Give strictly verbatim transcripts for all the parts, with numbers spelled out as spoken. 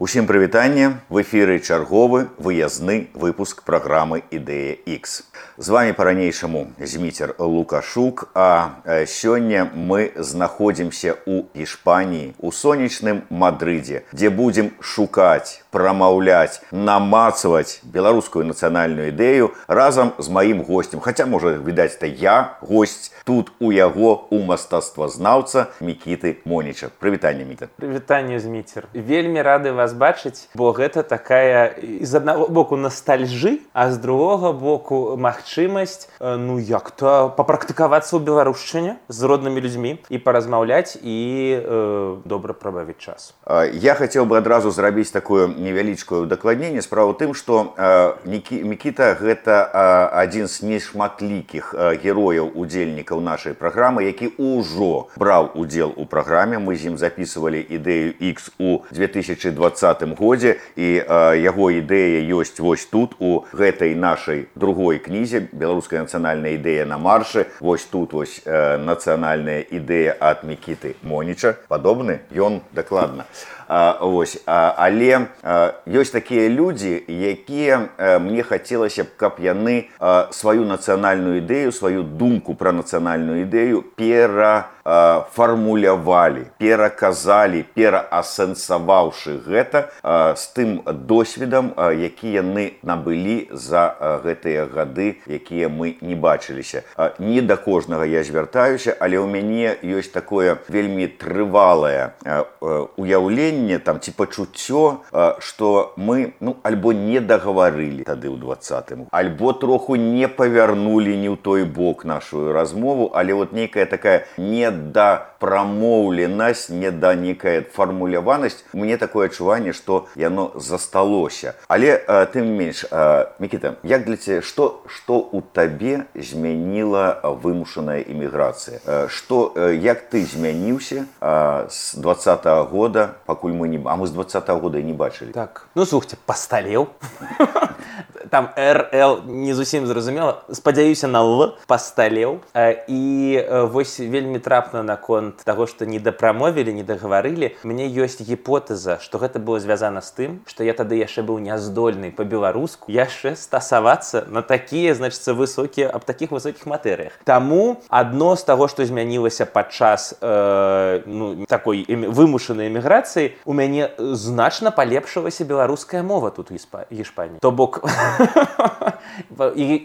Усім прывітанне, в эфіры чарговы выязны выпуск праграмы «Ідэя Х». З вами па-ранейшаму Зміцер Лукашук, а сёння мы знаходзімся ў Іспаніі, у сонечным Мадрыдзе, дзе будзем шукаць, прамаўляць, намацаваць беларускую нацыянальную ідэю разам з маім госцем. Хаця, можа, відаць, это я госць тут у яго, у мастацтвазнаўца Мікіты Моніча. Прывітанне, Міта. Прывітанне, Зміцер. Вельмі рады вас бачыць, бо гэта такая з аднаго боку ностальжы, а з другога боку магчымасць, ну як-то папрактыкавацца ў беларушчыне з роднымі людзьмі і паразмаўляць і э, добра прабавіць час. Я хацеў бы адразу зрабіць такое невялічкае удакладненне. Справа ў тым, што э, Мікіта гэта э, адзін з нешматлікіх э, герояў удзельнікаў нашай праграмы, які ўжо браў удзел у праграме. Мы з ім записывалі ідэю Х у две тысячи двадцатым годзе, і э, яго ідэя ёсць вось тут, у гэтай нашай другой кнізе «Беларуская нацыянальная ідэя на маршы». Вось тут вось э, нацыянальная ідэя ад Мікіты Моніча. Падобны ён дакладна. А, вось, а, але а, ёсць такія людзі, якія а, мне хацелася б, каб яны а, сваю нацыянальную ідэю, сваю думку пра нацыянальную ідэю перафармулявалі, пераказалі, пераасэнсаваўшы гэта а, з тым досведам, а, які яны набылі за а, гэтыя гады, якія мы не бачыліся. А, не да кожнага я звяртаюся, але ў мяне ёсць такое вельмі трывалае а, а, уяўленне, там ці пачуццё, што мы ну альбо не дагаварылі тады ў двадцатым, альбо троху не павярнулі не ў той бок нашу размову, але вот нейкая такая недапрамоўленасць, неда некая фармуляванасць, мне такое адчуванне, што яно засталося. Але тым не менш, Мікіта, як для цябе, што што ў табе змяніла вымушаная іміграцыя? Што, як ты змяніўся з двадцатага года, пакуль мы не... А мы з двадцатага года і не бачылі. Так, ну слухайте, пасталеў. Там эр эл не зусім зразумела. Спадзяюся на Л, пасталеў. І вось вельмі трапна наконт таго, што не дапрамовілі, не дагаварылі. Мне ёсць гіпотэза, што гэта было звязана з тым, што я тады яшчэ быў няздольны па-беларуску яшчэ стасавацца на такія, значыцца, высокія, аб такіх высокіх матэрыях. Таму адно з таго, што змянілася падчас э, ну, такой вымушанай эміграцыі, у мяне значна палепшылася беларуская мова тут у Іспаніі. То бок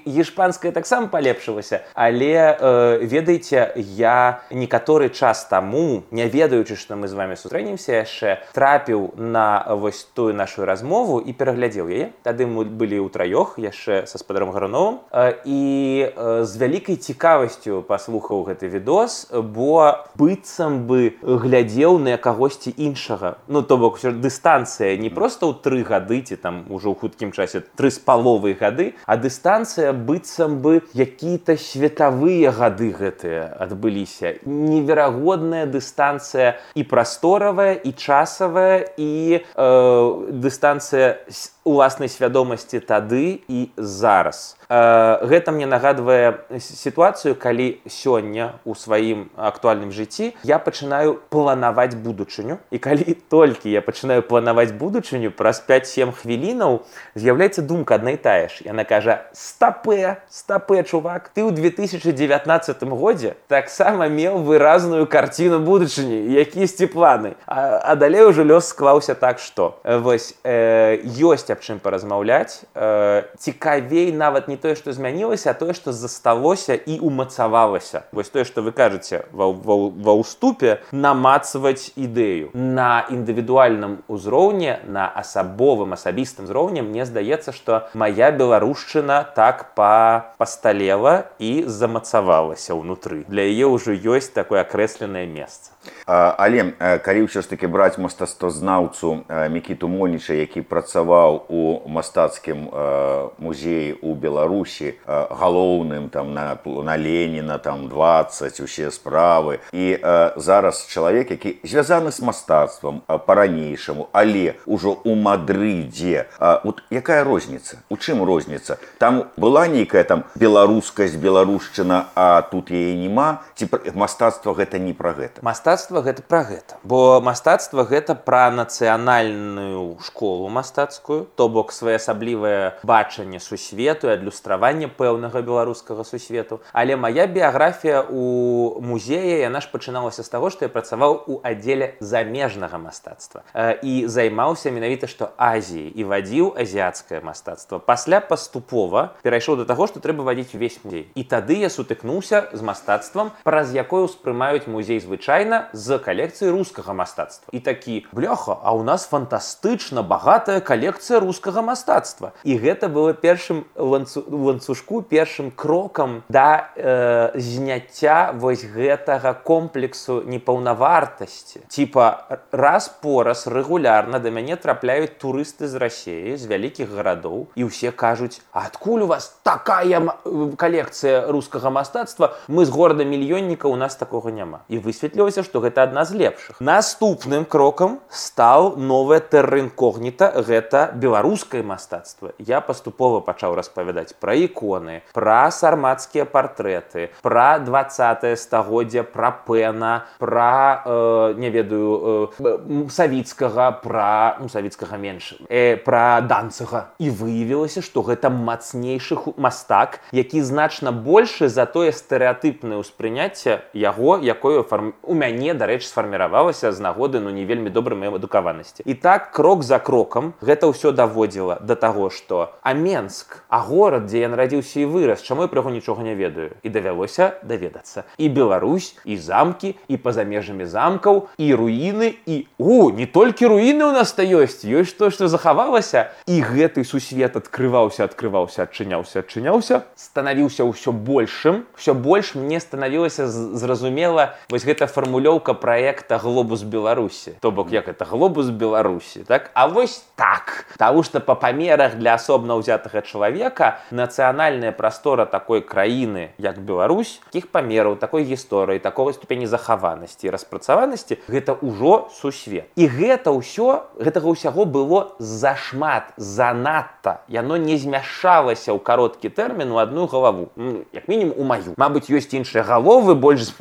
іспанская таксама палепшылася, але э, ведаеце, я некаторы час таму, не ведаючы, што мы з вами сустрэнемся яшчэ, трапіў на вось тую нашу размову і пераглядзеў яе. Тады мы былі ўтраёх яшчэ са спадаром Гаруновым, э, і э, з вялікай цікавасцю паслухаў гэты відос, бо быццам бы глядзеў на кагосьці іншага. Ну, то бок, дыстанцыя не проста ў тры гады, ці там ужо ў хуткім часе тры з паловай гады, а дыстанцыя быццам бы якія-то светавыя гады гэтыя адбыліся. Неверагодная дыстанцыя і прасторавая, і часавая, і э, дыстанцыя уласнай свядомасці тады і зараз. Э, гэта мне нагадвае сітуацыю, калі сёння ў сваім актуальным жыцці я пачынаю планаваць будучыню, і калі толькі я пачынаю планаваць будучыню, праз пяць-сем хвілінаў з'яўляецца думка адна і тая ж. Яна кажа: стапэ, стапэ, чувак, ты ў две тысячи дзевятнаццатым годзе таксама меў выразную карціну будучыні, якісьці планы. А, а далей ужо лёс склаўся так, што вось э, ёсць аб чым паразмаўляць. Э, цікавей нават не тое, што змянілася, а тое, што засталося і умацавалася. Вось тое, што вы кажаце ва, ва, ва ўступе, намацваць ідэю. На індывідуальным узроўні, на асабовым, асабістым узроўні, мне здаецца, што мая беларушчына так па пасталела і замацавалася ўнутры. Для яе ўжо ёсць такое акрэсленае месца. Але калі ўсё ж такі браць мастацтвазнаўцу Мікіту Моніча, які працаваў у мастацкім музеі ў Беларусі, галоўным там на, на Леніна, там дваццаць, усе справы, і зараз чалавек, які звязаны з мастацтвам па-ранейшаму, але ўжо ў Мадрыдзе. Вот якая розніца? У чым розніца? Там была нейкая там беларускасць, беларушчына, а тут яе нема? Ці мастацтва гэта не пра гэта? Мастацтва мастацтва гэта пра гэта. Бо мастацтва гэта пра нацыянальную школу мастацкую, то бок своеасаблівае бачанне сусвету і адлюстраванне пэўнага беларускага сусвету. Але моя біяграфія у музеі, яна ж пачыналася з таго, што я працаваў у аддзеле замежнага мастацтва. І займаўся менавіта, што Азіяй, і вадзіў азіяцкае мастацтва. Пасля паступова перайшоў да таго, што трэба вадзіць увесь музей. І тады я сутыкнуўся з мастацтвам, праз якое ўспрымаюць музей звычайна з калекцыі рускага мастацтва. І такі, бляха, а у нас фантастычна багатая калекцыя рускага мастацтва. І гэта было першым ланцу... ланцужку, першым крокам да э, зняцця вось гэтага комплексу непаўнавартасці. Типа, раз по раз рэгулярна да мяне трапляюць турысты з Расіі, з вялікіх гарадоў, і ўсе кажуць, а адкуль у вас такая калекцыя рускага мастацтва? Мы з горада-мільённіка, у нас такога няма. І высветлілася, што гэта адна з лепшых. Наступным крокам стаў новая тэрра інкогніта, гэта беларускае мастацтва. Я паступова пачаў распавядаць пра іконы, пра сармацкія партрэты, пра дваццатае стагоддзя, пра Пэна, пра, э, не ведаю, э, Савіцкага, пра, ну, Савіцкага менш, э, пра Данцыга. І выявілася, што гэта мацнейшы мастак, які значна большы за тое стэрэатыпнае ўспрыняцце яго, якое фарм... у мяне, дарэчы, сфарміравалася з нагоды, ну, не вельмі добрай маёй адукаванасці. І так, крок за крокам, гэта ўсё даводзіла да таго, што а Менск, а горад, дзе я нарадзіўся і вырас, чаму я пра яго нічога не ведаю? І давялося даведацца. І Беларусь, і замкі, і па-за межамі замкаў, і руіны, і... О, не толькі руіны ў нас-то ёсць, ёсць то, што захавалася. І гэты сусвет адкрываўся, адкрываўся, адчыняўся, адчыняўся, станавіўся ўсё большым, ўсё больш мне станавілася зразумела вось гэта фармулёўка праекта «Глобус Беларусі». То бок, як это «Глобус Беларусі», так? А вось так. Таму што па памерах для асобна ўзятага чалавека нацыянальная прастора такой краіны, як Беларусь, такіх памераў, такой гісторыі, такой ступені захаванасці і распрацаванасці, гэта ўжо сусвет. І гэта ўсё, гэтага ўсяго было зашмат, занадта. Яно не змяшалася ў кароткі тэрмін у адну галаву. Як мінімум у маю. Мабыць, ёсць іншыя галовы, больш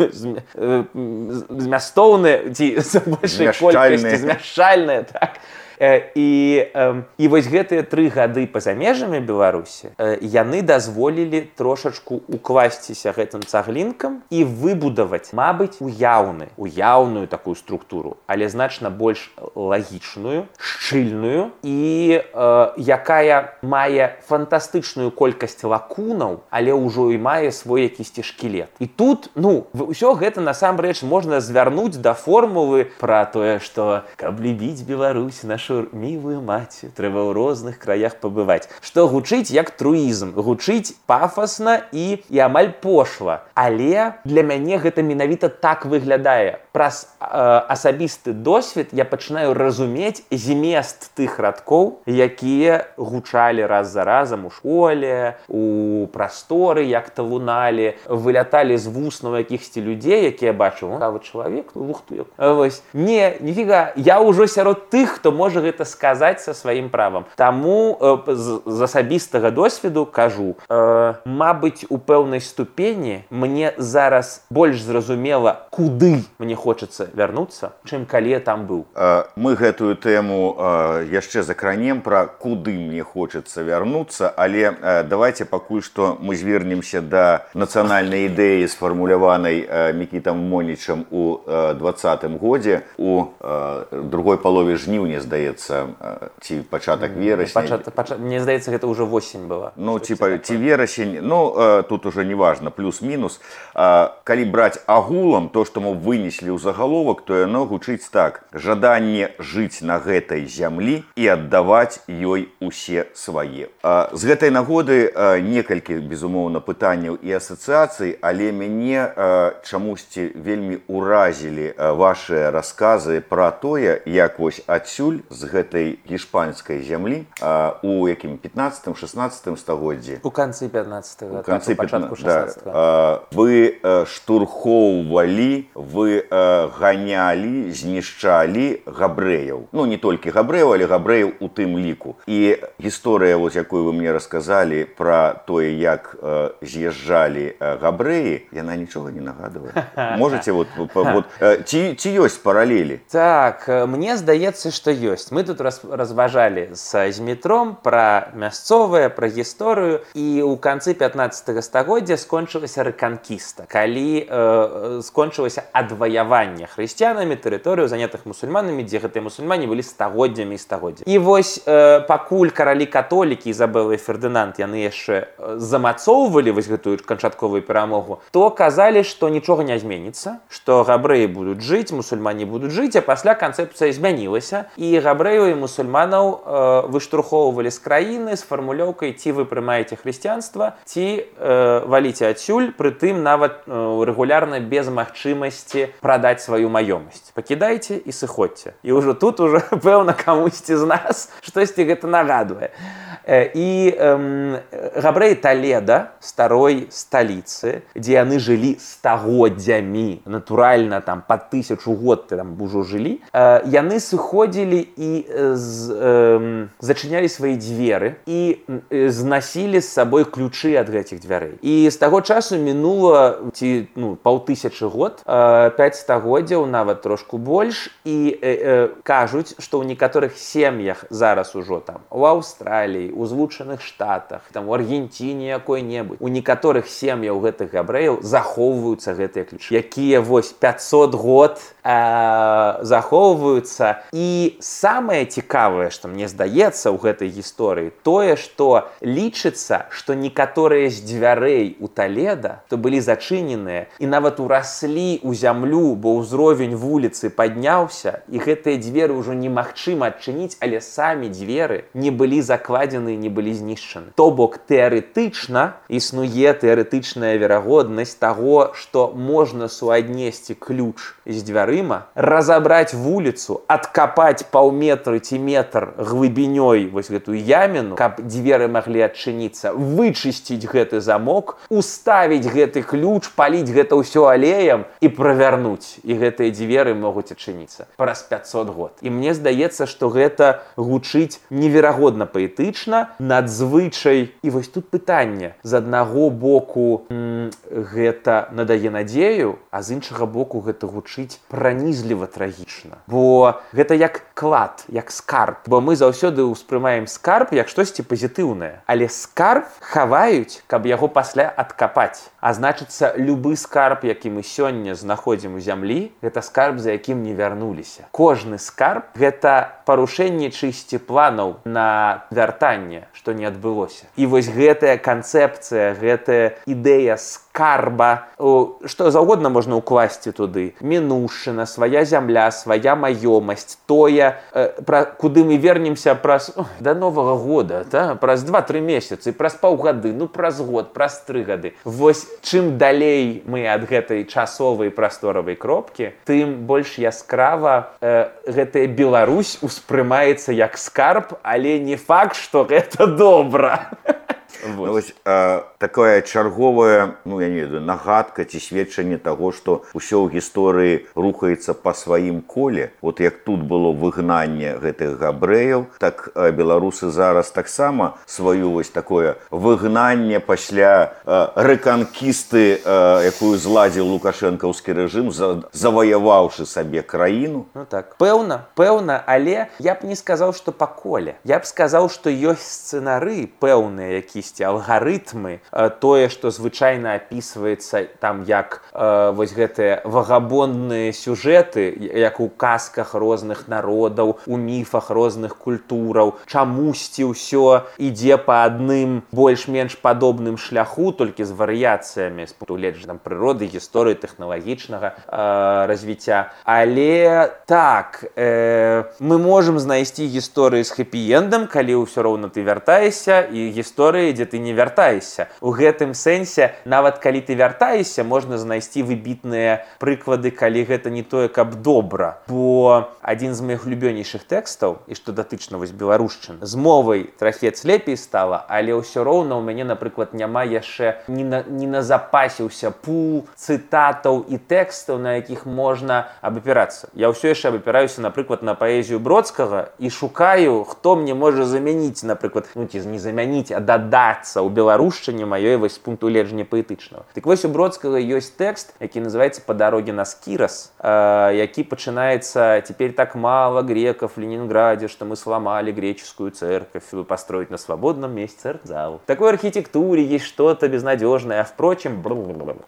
змястоўныя, ці з большай колькасці змяшчальныя, так? І, і вось гэтыя тры гады па-за межамі Беларусі яны дазволілі трошачку укласціся гэтым цаглінкам і выбудаваць, мабыць, уяўны, уяўную такую структуру, але значна больш лагічную, шчыльную і э, якая мае фантастычную колькасць лакунаў, але ўжо і мае свой якісьці шкілет. І тут, ну, ўсё гэта насамрэч можна звярнуць да формулы пра тое, што каб любіць Беларусь, нашу мілую маці, трэба ў розных краях пабываць. Што гучыць як труізм, гучыць пафасна і, і амаль пошла. Але для мяне гэта менавіта так выглядае. Праз э, асабісты досвед я пачынаю разумець змест тых радкоў, якія гучалі раз за разам у школе, у прасторы, як-то луналі, выляталі з вуснаў якіхсьці людзей, якія бачу, а вот чалавек, ну, лухту. Вось. Не, ніфіга, я ўжо сярод тых, хто можа гэта сказаць са сваім правам. Таму э, з, з асабістага досведу кажу, э, мабыць, у пэўнай ступені мне зараз больш зразумела, куды мне хочацца вярнуцца, чым калі я там быў. Мы гэтую тэму яшчэ закранем пра куды мне хочацца вярнуцца, але давайте пакуль што мы звернемся да нацыянальнай ідэі, сфармуляванай Мікітам Монічам у двадцатым годзе, у другой палове жніўня, здаецца, ці пачатак верасня. Пачат, пачат, мне здаецца, гэта ўжо восень была. Ну, ці, ці верасень, ну, тут уже не важно, плюс-мінус. Калі браць агулам то, што мы вынеслі ў загаловак, то яно гучыць так: жаданне жыць на гэтай зямлі і аддаваць ёй усе свае. З гэтай нагоды некалькі, безумоўна, пытанняў і асацыяцый, але мяне чамусьці вельмі ўразілі вашыя расказы пра тое, як вось адсюль, з гэтай гішпанскай зямлі а, у якім пятнадцатым шестнадцатым стагоддзі у канцы пятнадцатага у канцы пачатку шестнадцатага да, а, вы а, штурхоўвалі, вы а, ганялі, знішчалі габрэяў, ну не толькі габрэяў, але габрэяў у тым ліку. І гісторыя, вот, якую вы мне расказалі пра тое, як а, з'язджалі а, габрэі, яна нічога не нагадвае. Можете вот, вот ці, ці ёсць паралелі? Так, мне здаецца, што ёсць. Мы тут раз, разважалі з Змітром пра мясцовае, пра гісторыю, і ў канцы пятнадцатага стагоддзя скончылася рэканкіста, калі э, скончылася адваяванне хрысціянамі тэрыторыю, занятых мусульманамі, дзе гэтыя мусульмане былі стагоддзямі і стагоддзямі. І вось э, пакуль каралі католікі Ізабела і Фердынанд яны яшчэ замацоўвалі вось гэтую канчатковую перамогу, то казалі, што нічога не зменіцца, што габрэі будуць жыць, мусульмане будуць жыць, а пасля канцэпцыя змянілася, і габрэяў і мусульманаў э, выштурхоўвалі з краіны з фармулёўкай ці вы прымаеце хрысціянства, ці э, валіце адсюль, прытым нават э, рэгулярна без магчымасці прадаць сваю маёмасць. Пакідайце і сыходзьце. І ўжо тут уже пэўна камусьці з нас штосьці гэта нагадвае. І э, габрэі Таледа, старой сталіцы, дзе яны жылі стагоддзямі, натуральна там па тысячу год там ужо жылі, э, яны сыходзілі і з, э, зачынялі свае дзверы і э, знасілі з сабой ключы ад гэтых дзвярэй. І з таго часу мінула ці ну, паўтысячы год, э, пяць стагоддзяў, нават трошку больш, і э, э, кажуць, што ў некаторых сем'ях зараз ужо там у Аўстраліі, у Злучаных Штатах, там у Аргентине якой-небудзь, у некаторых сем'яў гэтых габрэяў захоўваюцца гэтыя ключы, якія вось пятьсот год э, захоўваюцца. І самае цікавае, што мне здаецца ў гэтай гісторыі, тое, што лічыцца, што некаторыя з дзвярэй у Таледа, то былі зачыненыя і нават ураслі ў зямлю, бо ўзровень вуліцы падняўся, і гэтыя дзверы ўжо немагчыма адчыніць, але самі дзверы не былі закладзены, не былі знішчаны. То бок тэарэтычна існуе тэарэтычная верагоднасць таго, што можна суаднесці ключ з дзвярыма, разабраць вуліцу, адкапаць паўметры ці метр глыбінёй вось гэтую яміну, каб дзверы маглі адчыніцца, вычысціць гэты замок, уставіць гэты ключ, паліць гэта ўсё алеем і правярнуць. І гэтыя дзверы могуць адчыніцца праз пятьсот год. І мне здаецца, што гэта гучыць неверагодна паэтычна, надзвычай. І вось тут пытанне. З аднаго боку м, гэта надае надзею, а з іншага боку гэта гучыць пранізліва трагічна. Бо гэта як клад, як скарб. Бо мы заўсёды ўспрымаем скарб як штосьці пазітыўнае. Але скарб хаваюць, каб яго пасля адкапаць. А значыцца, любы скарб, які мы сёння знаходзім у зямлі, гэта скарб, за якім не вярнуліся. Кожны скарб – гэта парушэнне чысці планаў на вяртанне, што не адбылося. І вось гэтая канцэпцыя, гэтая ідэя скарба, што заўгодна можна ўкласці туды. Мінушчына, свая зямля, свая маёмасць, тое, пра, куды мы вернемся праз о, да Новага года, та? Праз два-тры месяцы, праз паўгады, ну праз год, праз тры гады. Вось чым далей мы ад гэтай часовай прасторавай кропкі, тым больш яскрава э, гэтая Беларусь успрымаецца як скарб, але не факт, што гэта добра. Ну, вось, э, такая чарговая, ну я не ведаю, нагадка ці сведчанне таго, што ўсё ў гісторыі рухаецца па сваім коле. Вот як тут было выгнанне гэтых габрэяў, так э, беларусы зараз таксама сваю вось такое выгнанне пасля э, рэканкісты, э, якую зладзіў лукашэнкаўскі рэжым, за, заваяваўшы сабе краіну. Ну так, пэўна, пэўна, але я б не сказаў, што па коле. Я б сказаў, што ёсць сцэнары пэўныя, якісь алгарытмы, тое, што звычайна апісваецца там як э, вось гэтыя вагабондныя сюжэты, як у казках розных народаў, у міфах розных культураў, чамусьці ўсё ідзе па адным больш-менш падобным шляху, толькі з варыяцыямі з пункту гледжання прыроды, гісторыі, тэхналагічнага э, развіцця. Але так, э, мы можам знайсці гісторыі з хэпі-эндам, калі ўсё роўна ты вяртаешся, і гісторыі, дзе ты не вяртаешся. У гэтым сэнсе, нават калі ты вяртаешся, можна знайсці выбітныя прыклады, калі гэта не тое, каб добра. Бо адзін з моих любёнейшых тэкстаў, і што датычна вось беларушчын, з мовай трахец лепей стала, але ўсё роўна ў мяне, напрыклад, няма яшчэ не, на, не назапасіўся пул цытатаў і тэкстаў, на якіх можна абапірацца. Я ўсё яшчэ абапіраюся, напрыклад, на паэзію Бродскага і шукаю, хто мне можа замяніць, напрыклад, ну ці не замяніць, а дадацца ў беларушчыне маёй вось пункту гледжання паэтычнага. Так вось у Бродскага ёсць тэкст, які называецца «По дороге на Скирос», э, які пачынаецца «Теперь так мало греков в Ленинграде, что мы сломали греческую церковь, чтобы построить на свободном месте церкзал. В такой архитектуре есть что-то безнадежное, а впрочем...»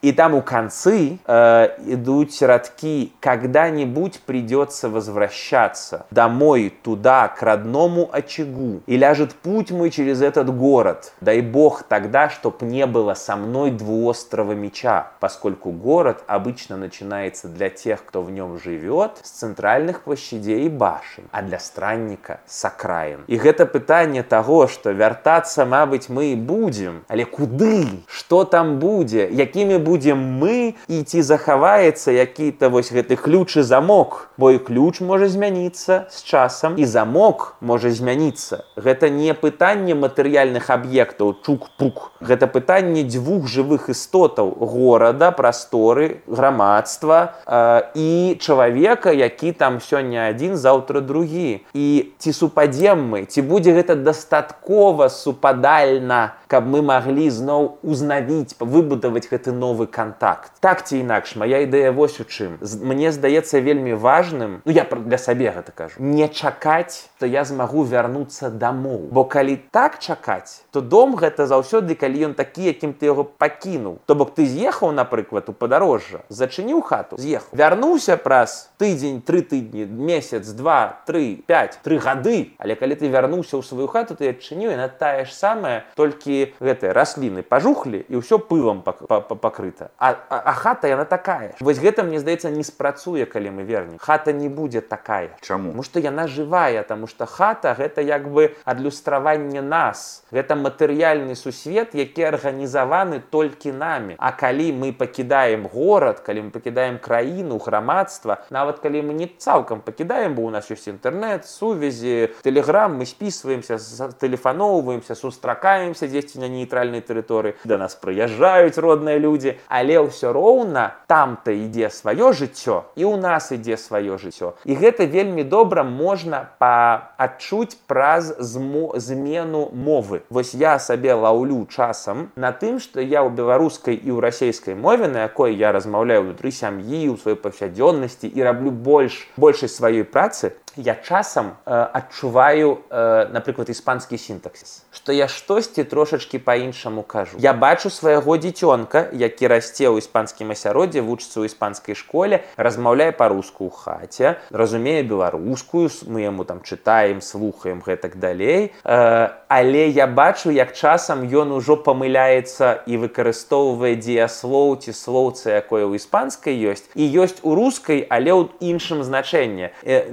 И там у концы э, идут рядки «Когда-нибудь придется возвращаться домой туда, к родному очагу, и ляжет путь мой через этот город. Дай Бог тогда, чтоб не было со мной двуострого меча, поскольку город обычно начинается для тех, кто в нем живет, с центральных площадей и башен, а для странника с окраин». И это пытание того, что вертаться, мабыть, мы и будем, але куды? Что там будет? Якими будем мы? И ці захаваецца які-то вось гэты ключ и замок, бо и ключ может змяніцца с часом, и замок может змяніцца. Гэта не пытанне матэрыяльных аб'ектаў чук-пук. Гэта пытанне дзвюх жывых істотаў: горада, прасторы, грамадства э, і чалавека, які там сёння адзін, заўтра другі. І ці супадзем мы, ці будзе гэта дастаткова супадальна, каб мы маглі зноў узнавіць, выбудаваць гэты новы контакт. Так ці інакш, моя ідэя вось у чым. Мне здаецца вельмі важным, ну я для сабе гэта кажу, не чакаць, то я змагу вярнуцца дамоў. Бо калі так чакаць, то дом гэта заўсёды, калі ён такі, якім ты яго пакінуў. То бок ты з'ехаў, напрыклад, у падарожжа, зачыніў хату, з'ехаў. Вярнуўся праз тыдзень, тры тыдні, месяц, два, тры, пяць, тры гады. Але калі ты вярнуўся ў сваю хату, ты адчыніў, яна тая ж самая, толькі гэтыя расліны пажухлі і ўсё пылам пакрыта. А, а, а хата яна такая. Вось гэта, мне здаецца, не спрацуе, калі мы вернем. Хата не будзе такая. Чаму? Таму што яна жывая, таму што хата гэта як бы адлюстраванне нас. Гэта матэрыяльны сусвет, які арганізаваны толькі намі. А калі мы пакідаем горад, калі мы пакідаем краіну, грамадства, нават калі мы не цалкам пакідаем, бо у нас ёсць інтэрнэт, сувязі, тэлеграм, мы спісваемся, тэлефаноўваемся, сустракаемся дзесьці на нейтральнай тэрыторыі, да нас прыязджаюць родныя людзі, але ўсё роўна там-то ідзе сваё жыццё, і ў нас ідзе сваё жыццё. І гэта вельмі добра можна паадчуць праз змену мовы. Вось я сабе лаўлю часам на тым, што я ў беларускай і ў расейскай мове, на якой я размаўляю ўнутры сям'і, у сваёй паўсядзённасці і раблю больш большасць сваёй працы, я часам э, адчуваю, э, напрыклад, іспанскі сінтаксіс, што я штосьці трошачкі па-іншаму кажу. Я бачу свайго дзіцёнка, які расце ў іспанскім асяроддзі, вучыцца ў іспанскай школе, размаўляе па-руску ў хаце, разумее беларускую, мы яму там чытаем, слухаем, гэтак далей. Э, але я бачу, як часам ён ужо памыляецца і выкарыстоўвае дзеяслоў ці слоўца, якое ў іспанскай ёсць, і ёсць у рускай, але ў іншым значэнні. Э,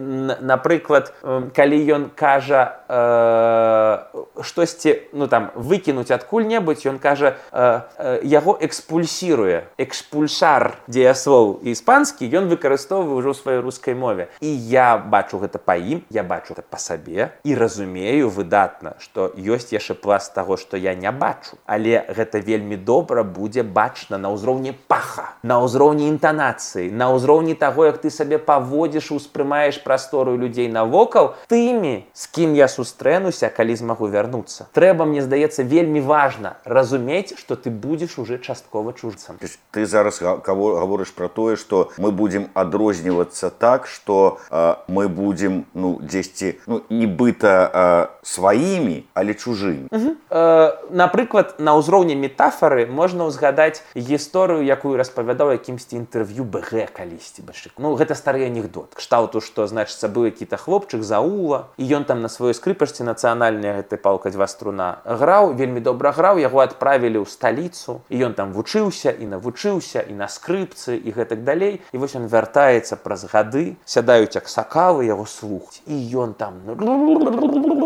Напрыклад, калі ён кажа э, штосьці, ну там, выкінуць адкуль-небудзь, ён кажа, э, э, яго экспульсіруе. Экспульсар дзеяслоў іспанскі ён выкарыстоўвае ўжо ў сваёй рускай мове. І я бачу гэта па ім, я бачу гэта па сабе і разумею выдатна, што ёсць яшчэ пласт таго, што я не бачу. Але гэта вельмі добра будзе бачна на ўзроўні паха, на ўзроўні інтанацыі, на ўзроўні таго, як ты сабе паводзіш, успрымаеш прастору людзей навокал, тымі, з кім я сустрэнуся, калі змагу вярнуцца. Трэба, мне здаецца, вельмі важна разумець, што ты будзеш уже часткова чужцам. Ты зараз гаворыш пра тое, што мы будзем адрознівацца так, што э, мы будзем, ну, дзесьці, ну, нібыта э, сваімі, але чужымі. Угу. Э, напрыклад, на ўзроўні метафары можна ўзгадаць гісторыю, якую распавядаў якімсьці інтэрв'ю БГ калісьці. Ну, гэта стары анекдот. Кшталту, што, значыцца, быў які-то хлопчык заула, і ён там на сваёй скрыпачцы нацыянальнай гэтай палка дзвя струна граў, вельмі добра граў, яго адправілі ў сталіцу, і ён там вучыўся і навучыўся і на скрыпцы і гэтак далей. І вось ён вяртаецца праз гады, сядаюць аксакалы, яго слухаць, і ён там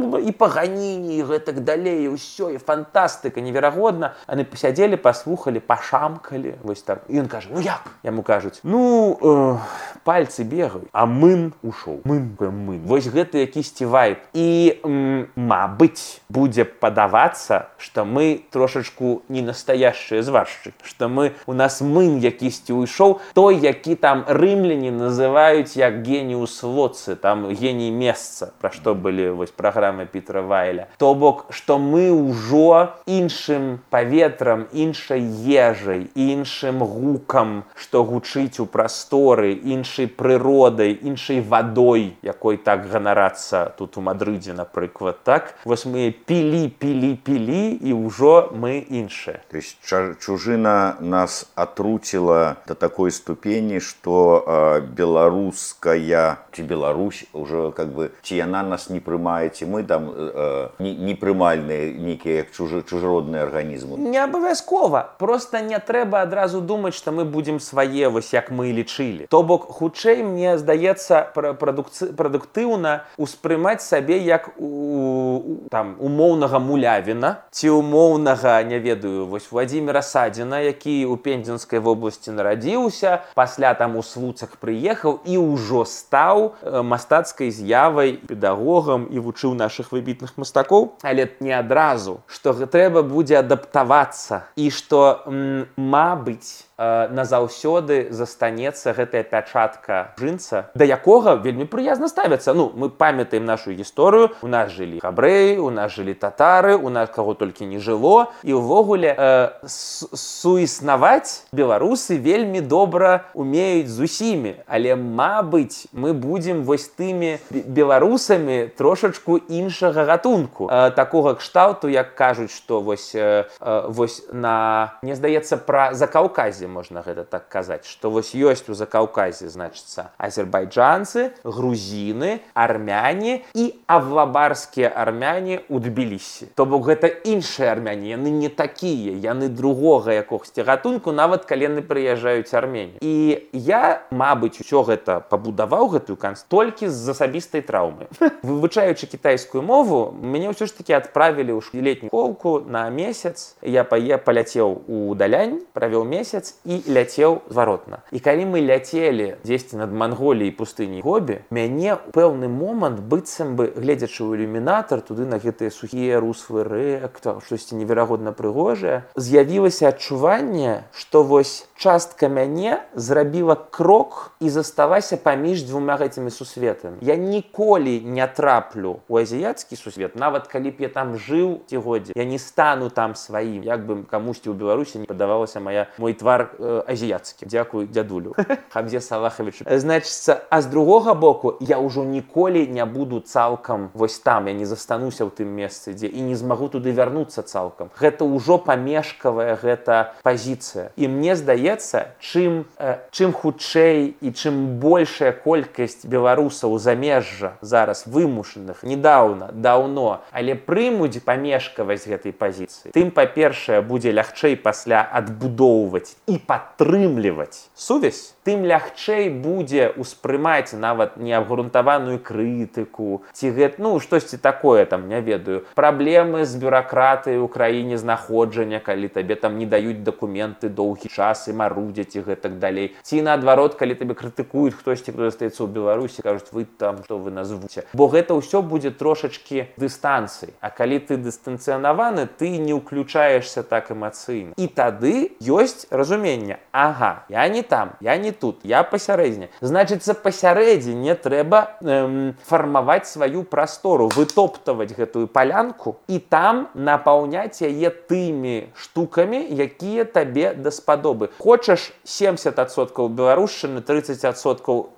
і паганінні, і гэтак далей, і ўсё, і фантастыка, неверагодна. Яны пасядзелі, паслухалі, пашамкалі, вось так. І ён кажа, ну як? Яму кажуць, ну, э, пальцы бегаюць, а мын ушоў. Мын, мын. Вось гэта якісьці вайб. І, м, мабыць, будзе падавацца, што мы трошачку не настоящыя зваршчыкі, што мы, у нас мын якісьці ўйшоў, той, які там рымляне называюць як геніус лоци, там геній месца, пра што былі вось праграмы Пітера Вайля. То бок, што мы ўжо іншым паветрам, іншай ежай, іншым гукам, што гучыць у прасторы, іншай прыродай, іншай вадой, якой так ганарацца тут у Мадрыдзе, напрыклад, так? Вось мы пілі, пілі, пілі, і ўжо мы іншыя. То есть чужина нас отруцила до такой ступени, что э, белорусская, ці Беларусь уже как бы, ці яна нас не прымае, ці мы там э, не, не прымальныя некія чужи, чужеродныя арганізмы. Не абавязкова. Просто не трэба адразу думаць, што мы будзем свае, вось як мы лічылі. То бок, хутчэй, мне здаецца, прадукци... прадуктыўна успрымаць сабе як у, там, умоўнага Мулявіна, ці умоўнага, не ведаю, вось Владзіміра Садзіна, які ў Пензенскай вобласці нарадзіўся, пасля там у Слуцах прыехаў і ўжо стаў мастацкай з'явай, педагогам і вучыў нашых выбітных мастакоў. Але не адразу, што трэба будзе адаптавацца і што, м, мабыць, назаўсёды застанецца гэтая пячатка жынца, да якога вельмі прыязна ставяцца. Ну, мы памятаем нашу гісторыю, у нас жылі габрэі, у нас жылі татары, у нас каго толькі не жыло, і ўвогуле э, суіснаваць беларусы вельмі добра умеюць з усімі, але, мабыць, мы будзем вось тымі беларусамі трошачку іншага гатунку. Э, такога кшталту, як кажуць, што вось, э, вось на, мне здаецца, пра Закаўказе можна гэта так казаць, што вось ёсць у Закаўказе, значыцца, азербайджанцы, грузіны, армяне і авлабарскія армяне ў Тбілісі. То бок гэта іншыя армяне, яны не такія, яны другога якогсьці гатунку, нават калі яны прыязджаюць Арменію. І я, мабыць, усё гэта пабудаваў, гэтую канц, толькі з асабістай траўмы. Вывучаючы кітайскую мову, мяне ўсё ж такі адправілі ў летнюю школку на месяц. Я паляцеў у Далянь, правёў месяц і ляцеў зваротна. І калі мы ляцелі дзесьці над Манголіяй пустыняй Гобі, мяне ў пэўны момант, быццам бы, гледзячы ў ілюмінатар, туды на гэтыя сухія руслы рэк, штосьці неверагодна прыгожае, з'явілася адчуванне, што вось частка мяне зрабіла крок і засталася паміж дзвюма гэтымі сусветамі. Я ніколі не траплю ў азіяцкі сусвет, нават калі б я там жыў ці годзе, я не стану там сваім, як бы камусьці ў Беларусі не падавалася моя, мой твар э, азіяцкі. Дзякуй дзядулю. Хамзе Салахавічу. Значыцца, а з другога боку, я ўжо ніколі не буду цалкам вось там, я не застануся ў тым месцы, дзе і не змагу туды вярнуцца цалкам. Гэта ўжо памежкавая гэта пазіцыя. І мне здаецца, чым, э, чым хутчэй і чым большая колькасць беларусаў замежжа зараз вымушаных, недаўна, даўно, але прымуць памежкавасць гэтай пазіцыі, тым, па-першае, будзе лягчэй пасля адбудоўваць і падтрымліваць сувязь, тым лягчэй будзе ўспрымаць нават неабгрунтаваную крытыку, ці гэта, ну, штосьці такое, там, не ведаю, праблемы з бюракратыяй у краіне знаходжання, калі табе там не даюць дакументы доўгі час і марудзяць і гэтак далей. Ці наадварот, калі табе крытыкуюць хтосьці, хто застаецца ў Беларусі, кажуць, вы там, што вы назвуце. Бо гэта ўсё будзе трошачкі дыстанцыі. А калі ты дыстанцыянаваны, ты не ўключаешся так эмацыйна. І тады ёсць разуменне. Ага, я не там, я не тут, я пасярэдзіне. Значыцца, пасярэдзіне трэба эм, фармаваць сваю прастору, вытоптаваць гэтую палянку і там напаўняць яе тымі штукамі, якія табе даспадобы. Хочаш семьдесят адсоткаў беларушчыны, тридцать адсоткаў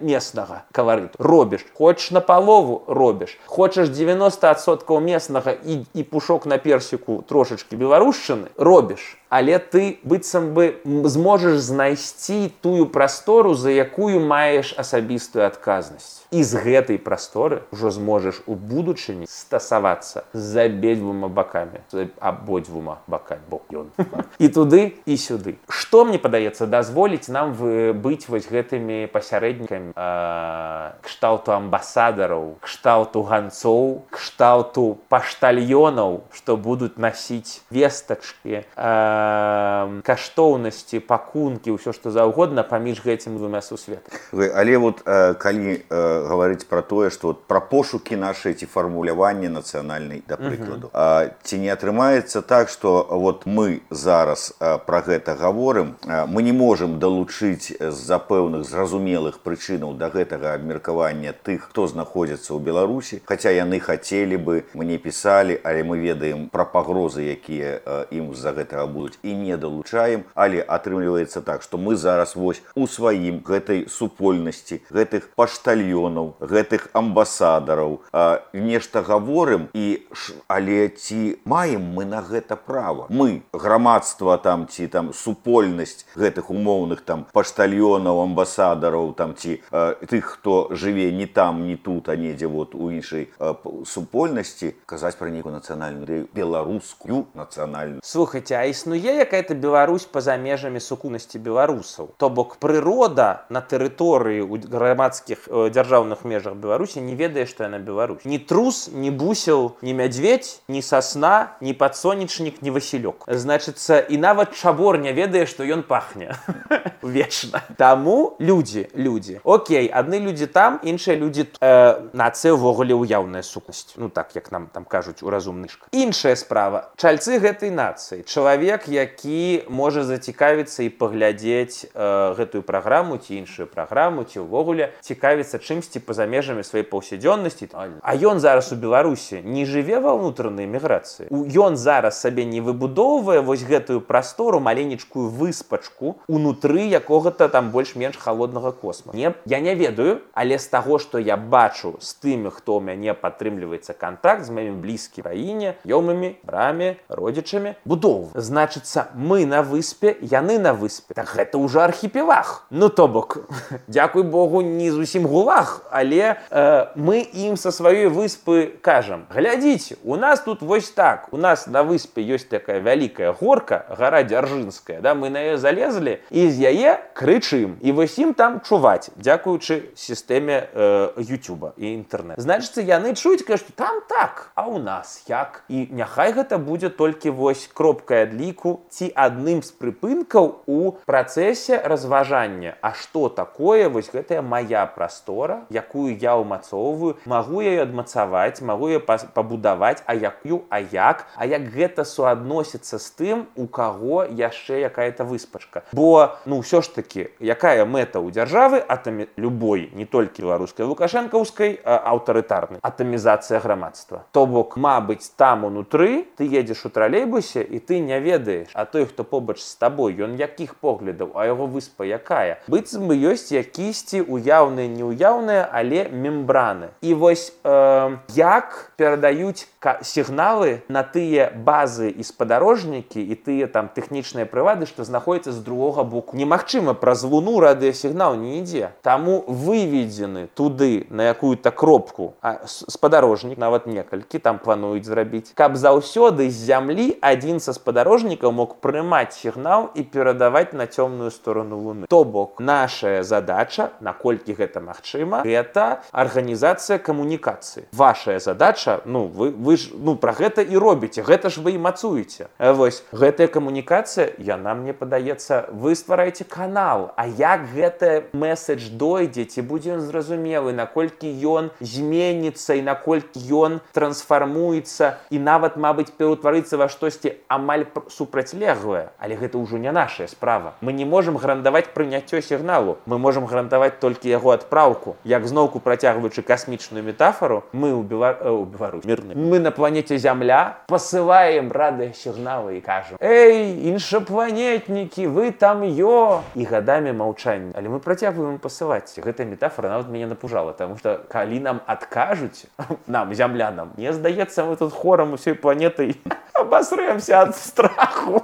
местнага каларыту. Робіш. Хочаш напалову, робіш. Хочаш девяносто адсоткаў местнага і, і пушок на персіку трошачкі беларушчыны, робіш. Але ты, быццам бы, зможаш знайсці тую прастору, за якую маеш асабістую адказнасць. І з гэтай прасторы ўжо зможаш у будучыні стасавацца з абедзвюма бакамі, з абодвума бакамі, бок ён. І туды, і сюды. Што, мне падаецца, дазволіць нам быць вось гэтымі пасярэднікамі э, кшталту амбасадараў, кшталту ганцоў, кшталту паштальёнаў, што будуць насіць вестачкі, э, каштоўнасці, пакункі, ўсё што заўгодна паміж гэтымі двумя сусветамі. Але вот э, калі э, гаварыць пра тое, што вот, пра пошукі нашай ці фармуляванне нацыянальнай, да прыкладу, uh-huh. э, ці не атрымаецца так, што вот мы зараз э, пра гэта гаворым, э, мы не можам далучыць з-за пэўных зразумелых прычынаў да гэтага абмеркавання тых, хто знаходзіцца ў Беларусі, хаця яны хацелі бы, мне пісалі, але мы ведаем пра пагрозы, якія э, ім з-за гэтага будуць, і не далучаем, але атрымліваецца так, што мы зараз вось у сваім гэтай супольнасці, гэтых паштальёнаў, гэтых амбасадараў э, нешта гаворым, і але ці маем мы на гэта права? Мы, грамадства там, ці там супольнасць гэтых умоўных там паштальёнаў, амбасадараў, там ці э, тых, хто жыве не там, не тут, а недзе вот у іншай э, супольнасці, казаць пра нейкую нацыянальную ідэю, беларускую нацыянальную. Слухайце, а існуе якая-то Беларусь па-за межамі сукупнасці беларусаў? То бок прырода на тэрыторыі ў грамадскіх э, дзяржаўных межах Беларусі не ведае, што яна Беларусь. Ні трус, ні бусел, ні мядзведзь, ні сасна, ні падсонечнік, ні васілёк. Значыцца, і нават чабор не ведае, што ён пахне вечна. Таму людзі, людзі. Окей, адны людзі там, іншыя людзі э, нацыя ўвогуле ўяўная сукупнасць. Ну так, як нам там кажуць у разумных шках. Іншая справа. Чальцы гэтай нацыі. Чалавек, які можа зацікавіцца і паглядзець э, гэтую праграму ці іншую праграму, ці ўвогуле цікавіцца чымсьці па-за межамі сваёй паўсядзённасці. А ён зараз у Беларусі не жыве ва ўнутранай міграцыі. Ён зараз сабе не выбудоўвае вось гэтую прастору, маленечкую выспачку унутры якога-то там больш-менш халоднага космоса. Не, я не ведаю, але з таго, што я бачу з тымі, хто ў мяне падтрымліваецца кантакт з маімі блізкімі краіне, ёмымі, брамі, родзічамі, будоў. Значыцца, мы на выспе, яны на выспе. Так гэта ўжо архіпелаг. Ну то бок, дзякуй Богу, не зусім гулаг, але э, мы ім са сваёй выспы кажам: глядзіце, у нас тут вось так, у нас на выспе ёсць такая вялікая горка, гара Дзяржынская, да, мы на яе залезлі і з яе крычым. І вось ім там чуваць, дзякуючы сістэме э, Ютуба і інтэрнэт. Значыцца, яны чуюць, кажуць, там так, а у нас як? І няхай гэта будзе толькі вось кропкай адліку ці адным з прыпынкаў у працэсе разважання. А што такое вось гэтая мая прастора, якую я ўмацоўваю, магу я адмацаваць, магу я пабудаваць, а якую, а як, а як гэта суадносіцца з тым, у каго яшчэ якая-то выспачка. Бо, ну, ўсё ж такі, якая мэта ў дзяржавы, атамі... любой, не толькі беларускай, лукашэнкаўскай, а аўтарытарнай, атамізацыя грамадства. То бок, мабыць, там унутры ты едзеш у тралейбусе і ты не ведаеш, а той, хто побач з табой, ён якіх поглядаў, а яго выспа якая. Быццам бы ёсць якісьці уяўныя, неуяўныя, але мембраны. І вось э, як перадаюць сігналы на тыя базы і спадарожнікі і тыя там тэхнічныя прылады, што знаходзяцца з другога боку. Немагчыма, праз луну радыёсігнал не ідзе. Таму выведзены туды на якую-то кропку а спадарожнік, нават некалькі там плануюць зрабіць, каб заўсёды з зямлі адзін са спадарожнікаў мог прымаць сігнал і перадаваць на цёмную сторону луны. То бок, наша задача, наколькі гэта магчыма, гэта арганізацыя камунікацыі. Вашая задача, ну, вы, вы ж, ну, пра гэта і робіце, гэта ж вы і мацуеце. Вось, гэтая камунікацыя, яна, мне падаецца, вы ствараеце канал, а як гэты месседж дойдзе, ці будзе ён зразумелы, наколькі ён зменіцца і наколькі ён трансфармуецца і нават, мабыць, пераўтварыцца ва штосьці амаль супрацьлеглае. Але гэта ўжо не нашая справа. Мы не можам гарантаваць прыняццё сігналу, мы можам гарантаваць толькі яго адпраўку. Як зноўку працягваючы касмічную метафору, мы ў Белар... э, Беларусь, мірны. Мы на планете Зямля пасылаем радыёсігналы і кажам: «Эй, іншапланетнікі, вы там ё!» І гадамі маўчання. Але мы працягваем пасылаць. Гэтая метафора нават мяне напужала, таму што калі нам адкажуць, нам, зямлянам, мне здаецца, мы тут хорам усёй планетай абасрэмся ад страху.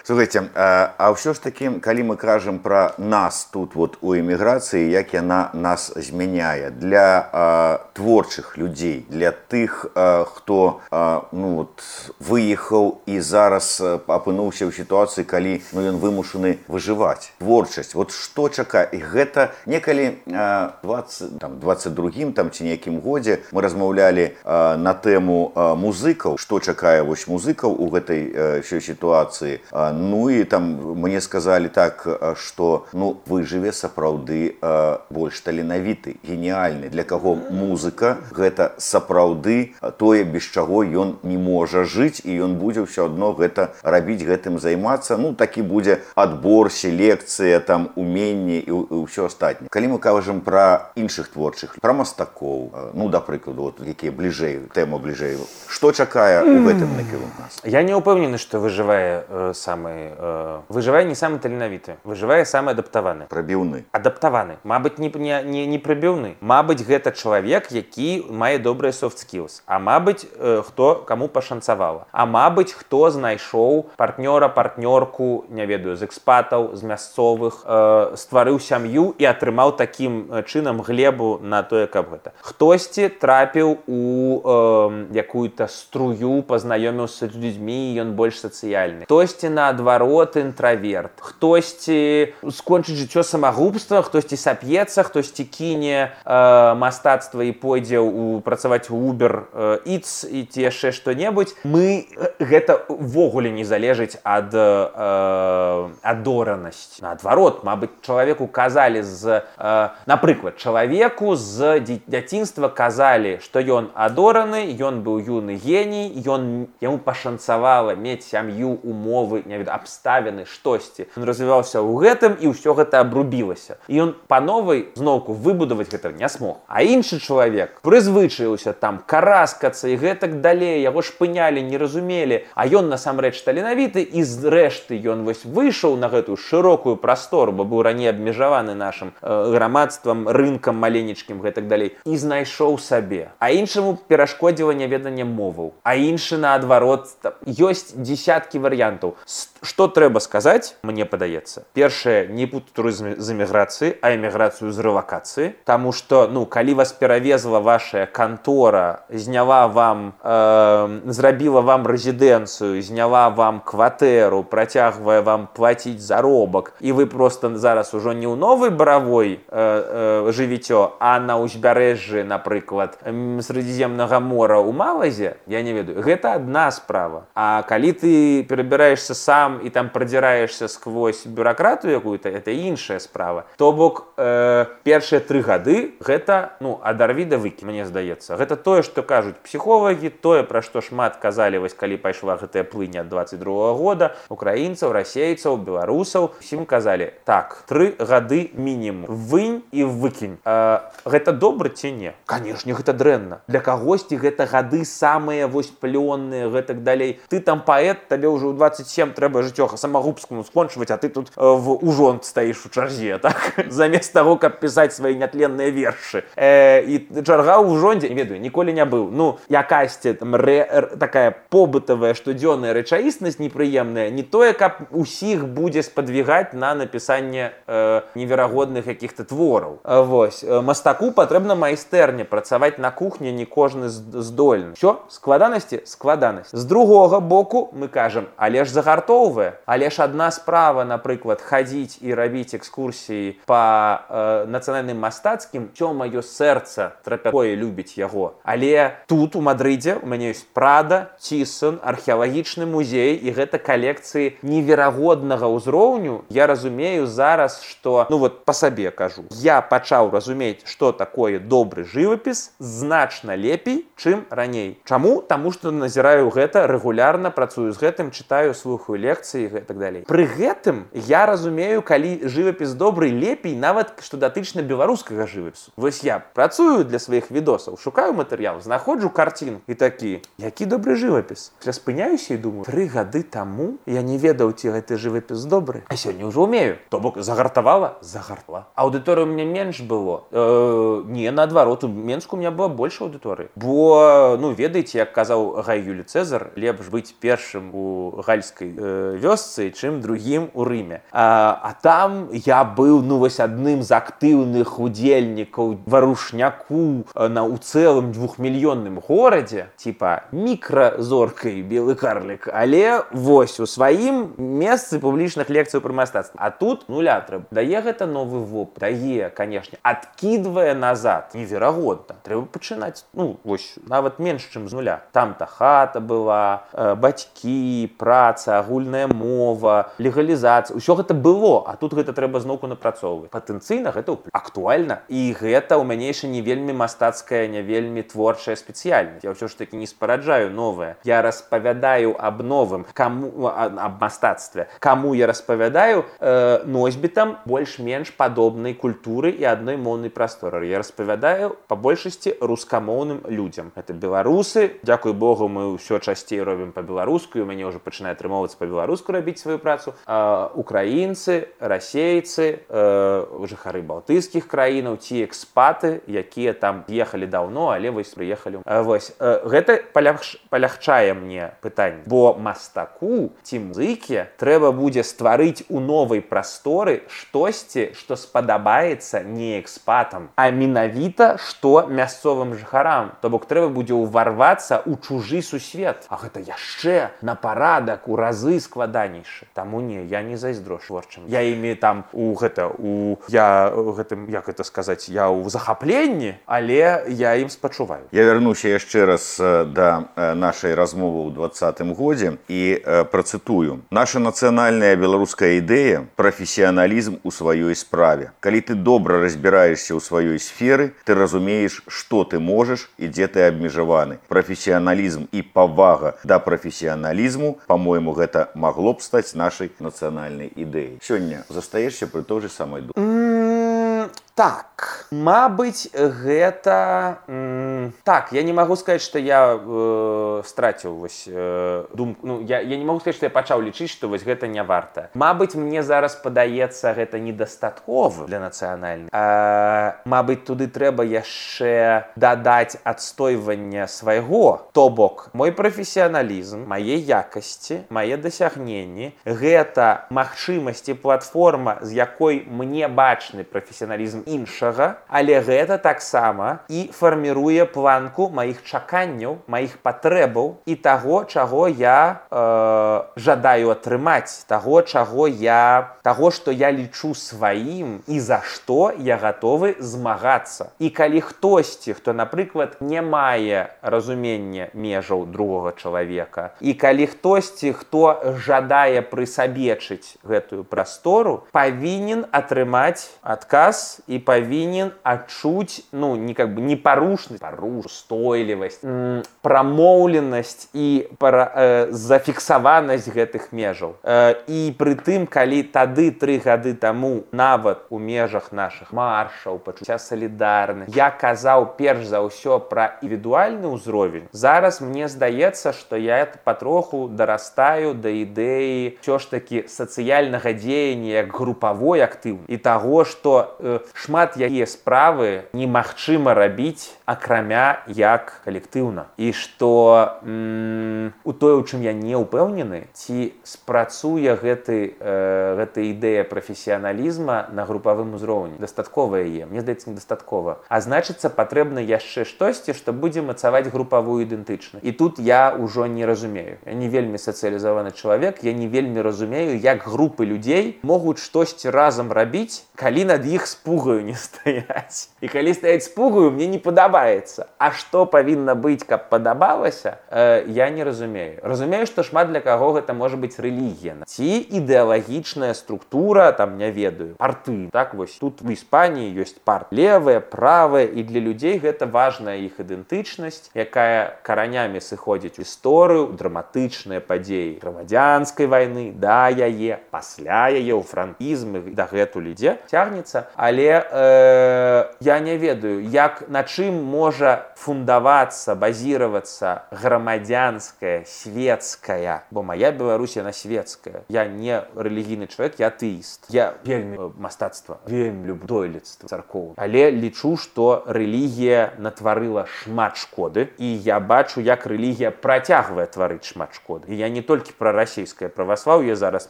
Слухайте, а, а ўсё ж таки, калі мы кажам пра нас тут вот у эміграцыі, як яна нас змяняе для а, творчых людзей, для тых, а, хто а, ну, вот, выехаў і зараз апынуўся ў сітуацыі, калі ну, ён вымушаны выжываць. Творчасць, вот што чакае? І гэта некалі а, двадцать, там, двадцать другім там, ці нейкім годзе мы размаўлялі а, на тэму а, музыкаў, што чакае вось музыкаў у гэтай а, сітуацыі. А, ну і там мне сказалі так, што ну, выжыве сапраўды а, больш таленавіты, геніальны, для каго музыка гэта сапраўды тое, без чаго ён не можа жыць, і ён будзе ўсё адно гэта рабіць, гэтым займацца. Ну, такі будзе адбор, селекцыя, там, уменне і, і ўсё астатняе. Калі мы кажам пра іншых творчых, пра мастакоў, ну, да прыкладу, вот, якія бліжэй, тэма бліжэй, што чакае у гэтым накірунку нас? Я не ўпэўнены, што выжывае э, самы, э, выжывае не самы таленавіты, выжывае самы адаптаваны. Прабіўны. Адаптаваны. Мабыць, не, не, не, не прыбіўны. Мабыць, гэта чалавек, які мае добрыя soft skills. А мабыць, э, хто каму пашанцавала. А мабыць, хто знайшоў партнёра, партнёрку, не ведаю, з экспатаў, з мясцовых, э, стварыў сям'ю і атрымаў такім чынам глебу на тое, каб гэта. Хтосьці трапіў у э, якую-то струю, пазнаёміўся з людзьмі, і ён больш сацыяльны. Хтосьці, наадварот, інтраверт. Хтосьці скончыць жыццё самагубства, хтосьці сап'ецца, хтосьці кіне э, мастацтва і пойдзе ў, працаваць у Uber э, Eats і ці яшчэ што-небудзь. Мы гэта ввогуле не залежыць ад э, адоранасці. Наадварот, мабыць, чалавеку казалі з э, напрыклад, чалавеку з дзяцінства казалі, што ён адораны, ён быў юны геній, ён яму пашанцавала мець сям'ю, умовы, не ведаю, абставіны, штосьці. Ён развіваўся ў гэтым, і ўсё гэта абрубілася. І ён па новай зноўку выбудаваць гэта не смог. А іншы чалавек прызвычаіўся там караскацца і гэтак далей, яго шпынялі, не разумелі, а ён насамрэч таленавіты, і зрэшты ён вось выйшаў на гэтую шырокую прастору, бо быў раней абмежаваны нашым э, грамадствам, рынкам маленечкім, гэтак далей, і знайшоў сабе. А іншаму перашкодзіла няведанне моваў. А іншы, наадварот, ёсць дзесяткі варыянтаў. Што трэба сказаць, мне падаецца? Першае, не путаць турызм з эміграцыі, а эміграцыю з рэлакацыі. Таму што, ну, калі вас перавезла ваша кантора, зняла вам, э, зрабіла вам рэзідэнцыю, зняла вам кватэру, працягвае вам плаціць заробак, і вы проста зараз ужо не ў новай баравой э, э, жывіцё, а на ўзбярэжжы, напрыклад, Средиземнага мора ў Малайзе, я не ведаю, гэта адна справа. А калі ты перабіраешся сам і там прадзіраешся сквозь бюракратыю якую-то, это іншая справа. То бок, э, першыя тры гады гэта, ну, адарві да выкінь, мне здаецца. Гэта тое, што кажуць псіхолагі, тое, пра што шмат казалі, вось калі пайшла гэтая плынь ад двадцать другога года, украінцаў, расейцаў, беларусаў, усім казалі, так, тры гады мінімум, вынь і выкінь. Э, гэта добра ці не? Канешне, гэта дрэнна. Для кагосьці гэта гады самыя вось плённыя, гэтак далей. Ты там паэт, табе ўжо ў двадцать семь трэба жыццё самагубскаму скончваць, а ты тут э, в ужон стаіш у чарзе, так? Замест таго, каб пісаць свае нятленныя вершы. Э, і чарга ў ужондзе, не ведаю, ніколі не быў. Ну, якасьці там рэ, такая побытавая штодзённая рэчаіснасць непрыемная, не тое, каб усіх будзе спадвігаць на напісанне э, неверагодных якіх-то твораў. Э, вось, э, мастаку патрэбна майстэрня, працаваць на кухні не кожны здольны. Всё, складанасці, складанасць. З другога боку мы кажам, але ж загартоўвае, але ж адна справа, напрыклад, хадзіць і рабіць экскурсіі па э, нацыянальным мастацкім, цё маё сэрца трапякое любіць яго. Але тут у Мадрыдзе у мяне ёсць Прада, Тісон, археалагічны музей, і гэта калекцыі неверагоднага ўзроўню. Я разумею зараз, што, ну вот па сабе кажу, я пачаў разумець, што такое добры жывапіс значна лепей, чым раней. Чаму? Таму што назіраю гэта рэгулярна, працую з гэтым, чытаю, слухаю лекцыі і гэтак далей. Пры гэтым я разумею, калі жывапіс добры, лепей нават што датычна беларускага жывапісу. Вось я працую для сваіх відосаў, шукаю матэрыял, знаходжу карцін і такі, які добры жывапіс. Я спыняюся і думаю, тры гады таму я не ведаў, ці гэты жывапіс добры, а сёння ўжо умею. То бок загартавала? Загартала. Аўдыторыя ў мяне менш было? Э, не, наадварот, у Менску у меня была больше аўдыторыі. Бо, ну, ведаеце, як казаў Гай Юлій Цэзар, лепш быць першым у гальскай э, вёсцы, чым другім у Рыме. А, а там я быў ну вось адным з актыўных удзельнікаў варушняку на у цэлым двухмільённым горадзе, типа мікразоркай белы карлік, але вось у сваім месцы публічных лекцыяў пра мастацтва. А тут нуля трэба. Дае гэта новы вопыт? Дае, канешне. Адкідвае назад. Неверагодна. Трэба пачынаць, ну, вось, нават менш, чым з нуля. Там-то хата была, э, бацькі, праца, агульная мова, легалізацыя. Усё гэта было, а тут гэта трэба зноўку напрацоўваць. Патэнцыйна гэта актуальна. І гэта ў мяне яшчэ не вельмі мастацкая, не вельмі творчая спецыяльнасць. Я ўсё ж такі не спараджаю новае. Я распавядаю аб новым, каму, аб мастацтве. Каму я распавядаю? Э, носьбітам больш-менш падобнай культуры і адной моўнай прасторы. Я распавядаю па большасці рускамоўным людзям. Это беларусы. Дзякуй Богу, мы ўсё часцей робім па-беларуску, і у мяне ўжо пачынае атрымоўвацца па-беларуску рабіць сваю працу. Э, украінцы, расейцы, э, жыхары балтыйскіх краінаў, ці экспаты, якія там ехалі даўно, але вось прыехалі. Э, вось. Э, гэта палягш... палягчае мне пытанне. Бо мастаку ці музыке трэба будзе стварыць у новай прасторы штосьці, што спадабаецца не экспатам, а менавіта што мясцовым жыхарам. То бок трэба будзе ўварвацца ў чужы сусвет. А гэта яшчэ на парадак у разы складанейшы. Таму не, я не зайздрошу творчым. Я імі там у гэта у я гэтым, як это сказаць, я ў захапленні, але я ім спачуваю. Я вярнуся яшчэ раз да нашай размовы ў двадцатым годзе і працытую. Наша нацыянальная беларуская ідэя прафесіяналізм у сваёй справе. Калі ты добра разбіраешся ў сваёй сферы, ты разумееш, што ты можаш і дзе ты абмежаваны. Прафесіяналізм і павага да прафесіяналізму, па-мойму, гэта магло б стаць нашай нацыянальнай ідэяй. Сёння застаешся пры той же самай думцы? Mm, так, мабыць, гэта... Mm, так, я не магу сказаць, што я э, страціў вось, э, думку. Ну, я, я не магу сказаць, што я пачаў лічыць, што вось гэта не варта. Мабыць, мне зараз падаецца, гэта недастаткова для нацыянальнай. А, мабыць, туды трэба яшчэ дадаць адстойванне свайго. То бок, мой прафесіяналізм, мае якасці, мае дасягненні, гэта магчымасць і платформа, з якой мне бачны прафесіяналізм іншага, але гэта таксама і фарміруе планку маіх чаканняў, маіх патрэбаў і таго, чаго я э, жадаю атрымаць, таго, чаго я, таго, што я лічу сваім і за што я гатовы змагацца. І калі хтосьці, хто, напрыклад, не мае разумення межаў другога чалавека, і калі хтосьці, хто жадае прысабечыць гэтую прастору, павінен атрымаць адказ і павінен адчуць, ну, не как бы непарушнасць, паруш, устойлівасць, м- прамоўленасць і пара, э, зафіксаванасць гэтых межаў. Э, і пры тым, калі тады тры гады таму нават у межах нашых маршаў, пачуцця салідарнасці, я казаў перш за ўсё пра індывідуальны ўзровень, зараз мне здаецца, што я патроху дарастаю да ідэі ўсё ж такі сацыяльнага дзеяння як групавой актыўнасці і таго, што э, шмат якія справы немагчыма рабіць акрамя як калектыўна. І што м- у тое, у чым я не ўпэўнены, ці спрацуе гэты, э, гэта ідэя прафесіяналізма на групавым узроўні. Дастаткова яе, мне здаецца, недастаткова. А значыцца, патрэбна яшчэ штосьці, што будзе мацаваць групавую ідэнтычнасць. І тут я ўжо не разумею. Я не вельмі сацыялізаваны чалавек, я не вельмі разумею, як групы людзей могуць штосьці разам рабіць, калі над іх спугаю не стаяць. І калі стаяць спугаю, мне не падабаецца. А што павінна быць, каб падабалася, э, я не разумею. Разумею, што шмат для каго гэта можа быць рэлігія. Ці ідэалагічная структура, там, не ведаю, парты. Так, вось тут в Іспаніі ёсць парт. Левая, правая, і для людзей гэта важная іх ідэнтычнасць, якая каранямі сыходзіць у гісторыю, драматычныя падзеі грамадзянскай вайны, да яе, пасля яе, у франкізм і дагэтуль ідзе, цягнецца. Але э, я не ведаю, як на чым можа фундавацца, базироваться грамадзянская, светская, бо моя Беларусь, она светская. Я не рэлігійны чалавек, я атэіст. Я вельмі э, мастацтва, вельмі люблю дойлідства царкоў. Але лічу, што рэлігія натварыла шмат шкоды, і я бачу, як рэлігія працягвае тварыць шмат шкоды. І я не толькі пра расійскае праваслаўе зараз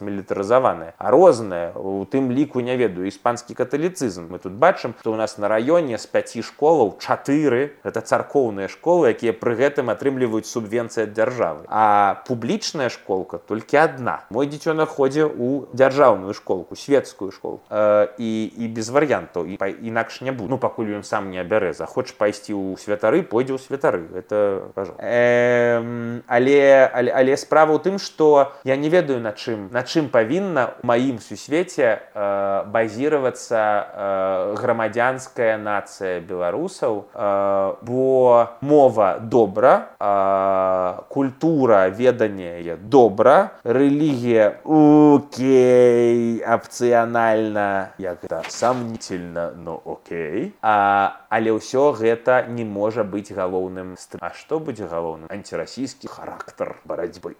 мілітарызаванае, а рознае, у тым ліку, не ведаю, іспанскі каталіцызм. Мы тут бачым, што ў нас на раёне з пяці школаў чатыры гэта царкоўныя школы, якія пры гэтым атрымліваюць субвенцыі ад дзяржавы. А публічная школка толькі адна. Мой дзіцёнак ходзе ў дзяржаўную школку, светскую школу. Э, і, і без варыянтаў, і інакш не буду. Ну, пакуль ён сам не абярэ. Захоча пайсці ў святары, пойдзе ў святары. Это, пожалуйста. Э, але, але, але справа ў тым, што я не ведаю, на чым, на чым павінна ў маім сусвеце э, базироваться э, грамадзянская нацыя беларусаў, э, бо мова добра, э, культура ведание добра, рэлігія окей, опцыянальна, як это сомнительно, но окей, а, але ўсё гэта не можа быць галоўным. А што будзе галоўным? Антирасійскі характар барацьбы.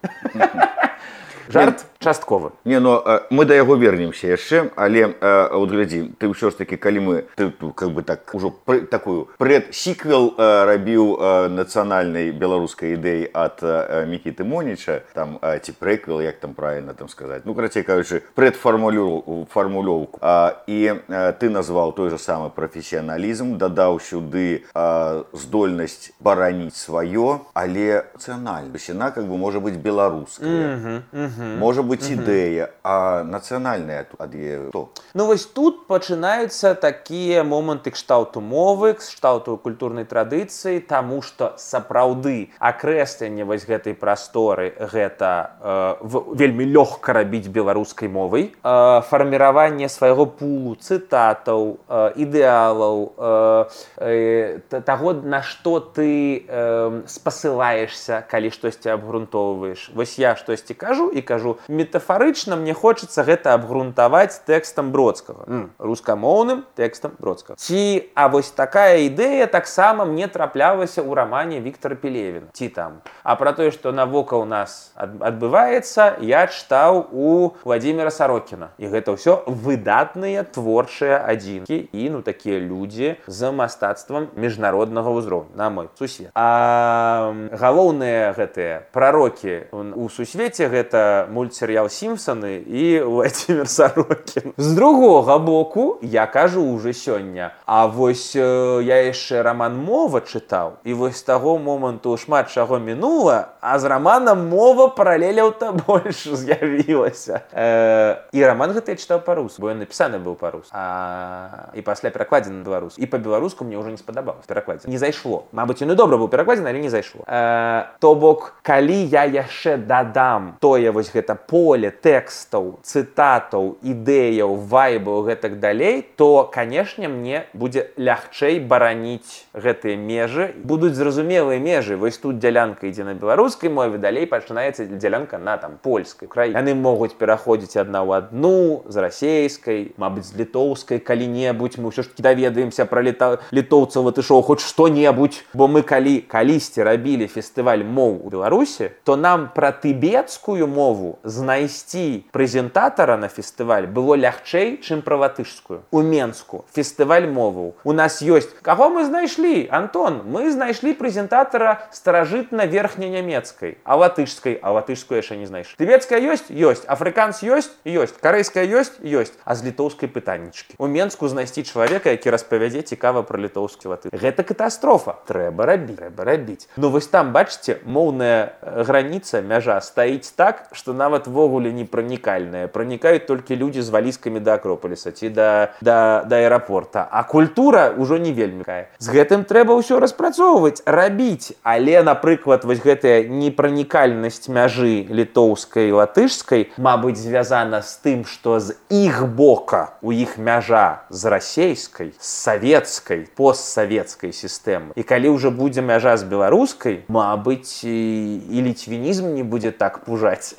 Жарт часткова. Не, ну мы да яго вернемся яшчэ, але э, вот глядзі, ты ўсё ж таки, калі мы ты, как бы так ужо пр, такую прэд-сіквел э, рабіў э, нацыянальнай беларускай ідэі ад э, Мікіты Моніча, там э, ці прэквел, як там правильно там сказаць. Ну, карацей кажучы, прэдфармулёўку. А, і э, ты назваў той же самы прафесіяналізм, дадаў сюды э, здольнасць бараніць сваё, але нацыянальна. Яна как бы можа быць беларуская. Mm-hmm, mm-hmm. Можа быць ідэя, а нацыянальная ад яе хто? Ну вось тут пачынаюцца такія моманты кшталту мовы, кшталту культурнай традыцыі, таму што сапраўды акрэсленне вось гэтай прасторы гэта э, вельмі лёгка рабіць беларускай мовай. Э, фарміраванне свайго пулу цытатаў, э, ідэалаў, э, э, таго, на што ты э, спасылаешся, калі штосьці абгрунтоўваеш. Вось я штосьці кажу і кажу, метафарычна мне хочацца гэта абгрунтаваць тэкстам Бродскага, mm. рускамоўным тэкстам Бродскага. Ці, а вось такая ідэя таксама мне траплялася ў рамане Віктара Пелевіна. Ці там. А пра тое, што навокал нас адбываецца, я чытаў у Владзіміра Сарокіна. І гэта ўсё выдатныя творчыя адзінкі і, ну, такія людзі з мастацтвам міжнароднага ўзроўню, на мой сусвет. А галоўныя гэтыя прарокі у сусвеце гэта мультсерыял «Сімпсаны» і Владзімір Сарокін. З другога боку, я кажу уже сёння, а вось э, я яшчэ раман «Мова» чытаў, і вось з таго моманту шмат чаго мінула, а з раманам «Мова» паралеляў-то больш з'явілася. Э, і раман гэты я чытаў па-руску, бо ён напісаны быў па-руску. А... І пасля перакладзены на беларуску. І па-беларуску мне ўжо не спадабалася перакладзена. Не зайшло. Мабыць, ён і добра быў перакладзены, але не зайшло. Э, то бок, калі я яшчэ дадам тое вось гэта поле тэкстаў, цытатаў, ідэяў, вайбаў, гэтак далей, то, канешне, мне будзе лягчэй бараніць гэтыя межы. Будуць зразумелыя межы. Вось тут дзялянка ідзе на беларускай мове, далей пачынаецца дзялянка на там польскай, украінскай. Яны могуць пераходзіць адна ў адну, з расейскай, мабыць, з літоўскай калі-небудзь. Мы ўсё ж такі даведаемся пра літа... літоўцаў, вот ішоў хоць што-небудзь. Бо мы калі калісьці рабілі фестываль моў у Беларусі, то нам пра тыбецкую мову знайсці прэзентатара на фестываль было лягчэй, чым пра латышскую. У Менску фестываль моваў. У нас ёсць. Каго мы знайшлі? Антон, мы знайшлі прэзентатара старажытна-верхнянямецкай, а латышскай, а латышскую яшчэ не знайшлі. Тыбецкая ёсць? Ёсць. Афрыканс ёсць? Ёсць. Карэйская ёсць? Ёсць. А з літоўскай пытаннічкі. У Менску знайсці чалавека, які распавядзе цікава пра літоўскі латыш. Гэта катастрофа. Трэба рабіць. Трэба рабіць. Ну вось там, бачыце, моўная граніца, мяжа стаіць так, што нават ввогуле не пранікальная. Пранікаюць толькі людзі з валізкамі да Акропаліса ці да, да, да аэрапорта. А культура ўжо не вельмі кае. З гэтым трэба ўсё распрацоўваць, рабіць. Але, напрыклад, вось гэтая непранікальнасць мяжы літоўскай і латышскай, мабыць, звязана з тым, што з іх бока у іх мяжа з расейскай, з савецкай, постсавецкай сістэмы. І калі ўжо будзе мяжа з беларускай, мабыць, і, і ліцвінізм не будзе так пужаць.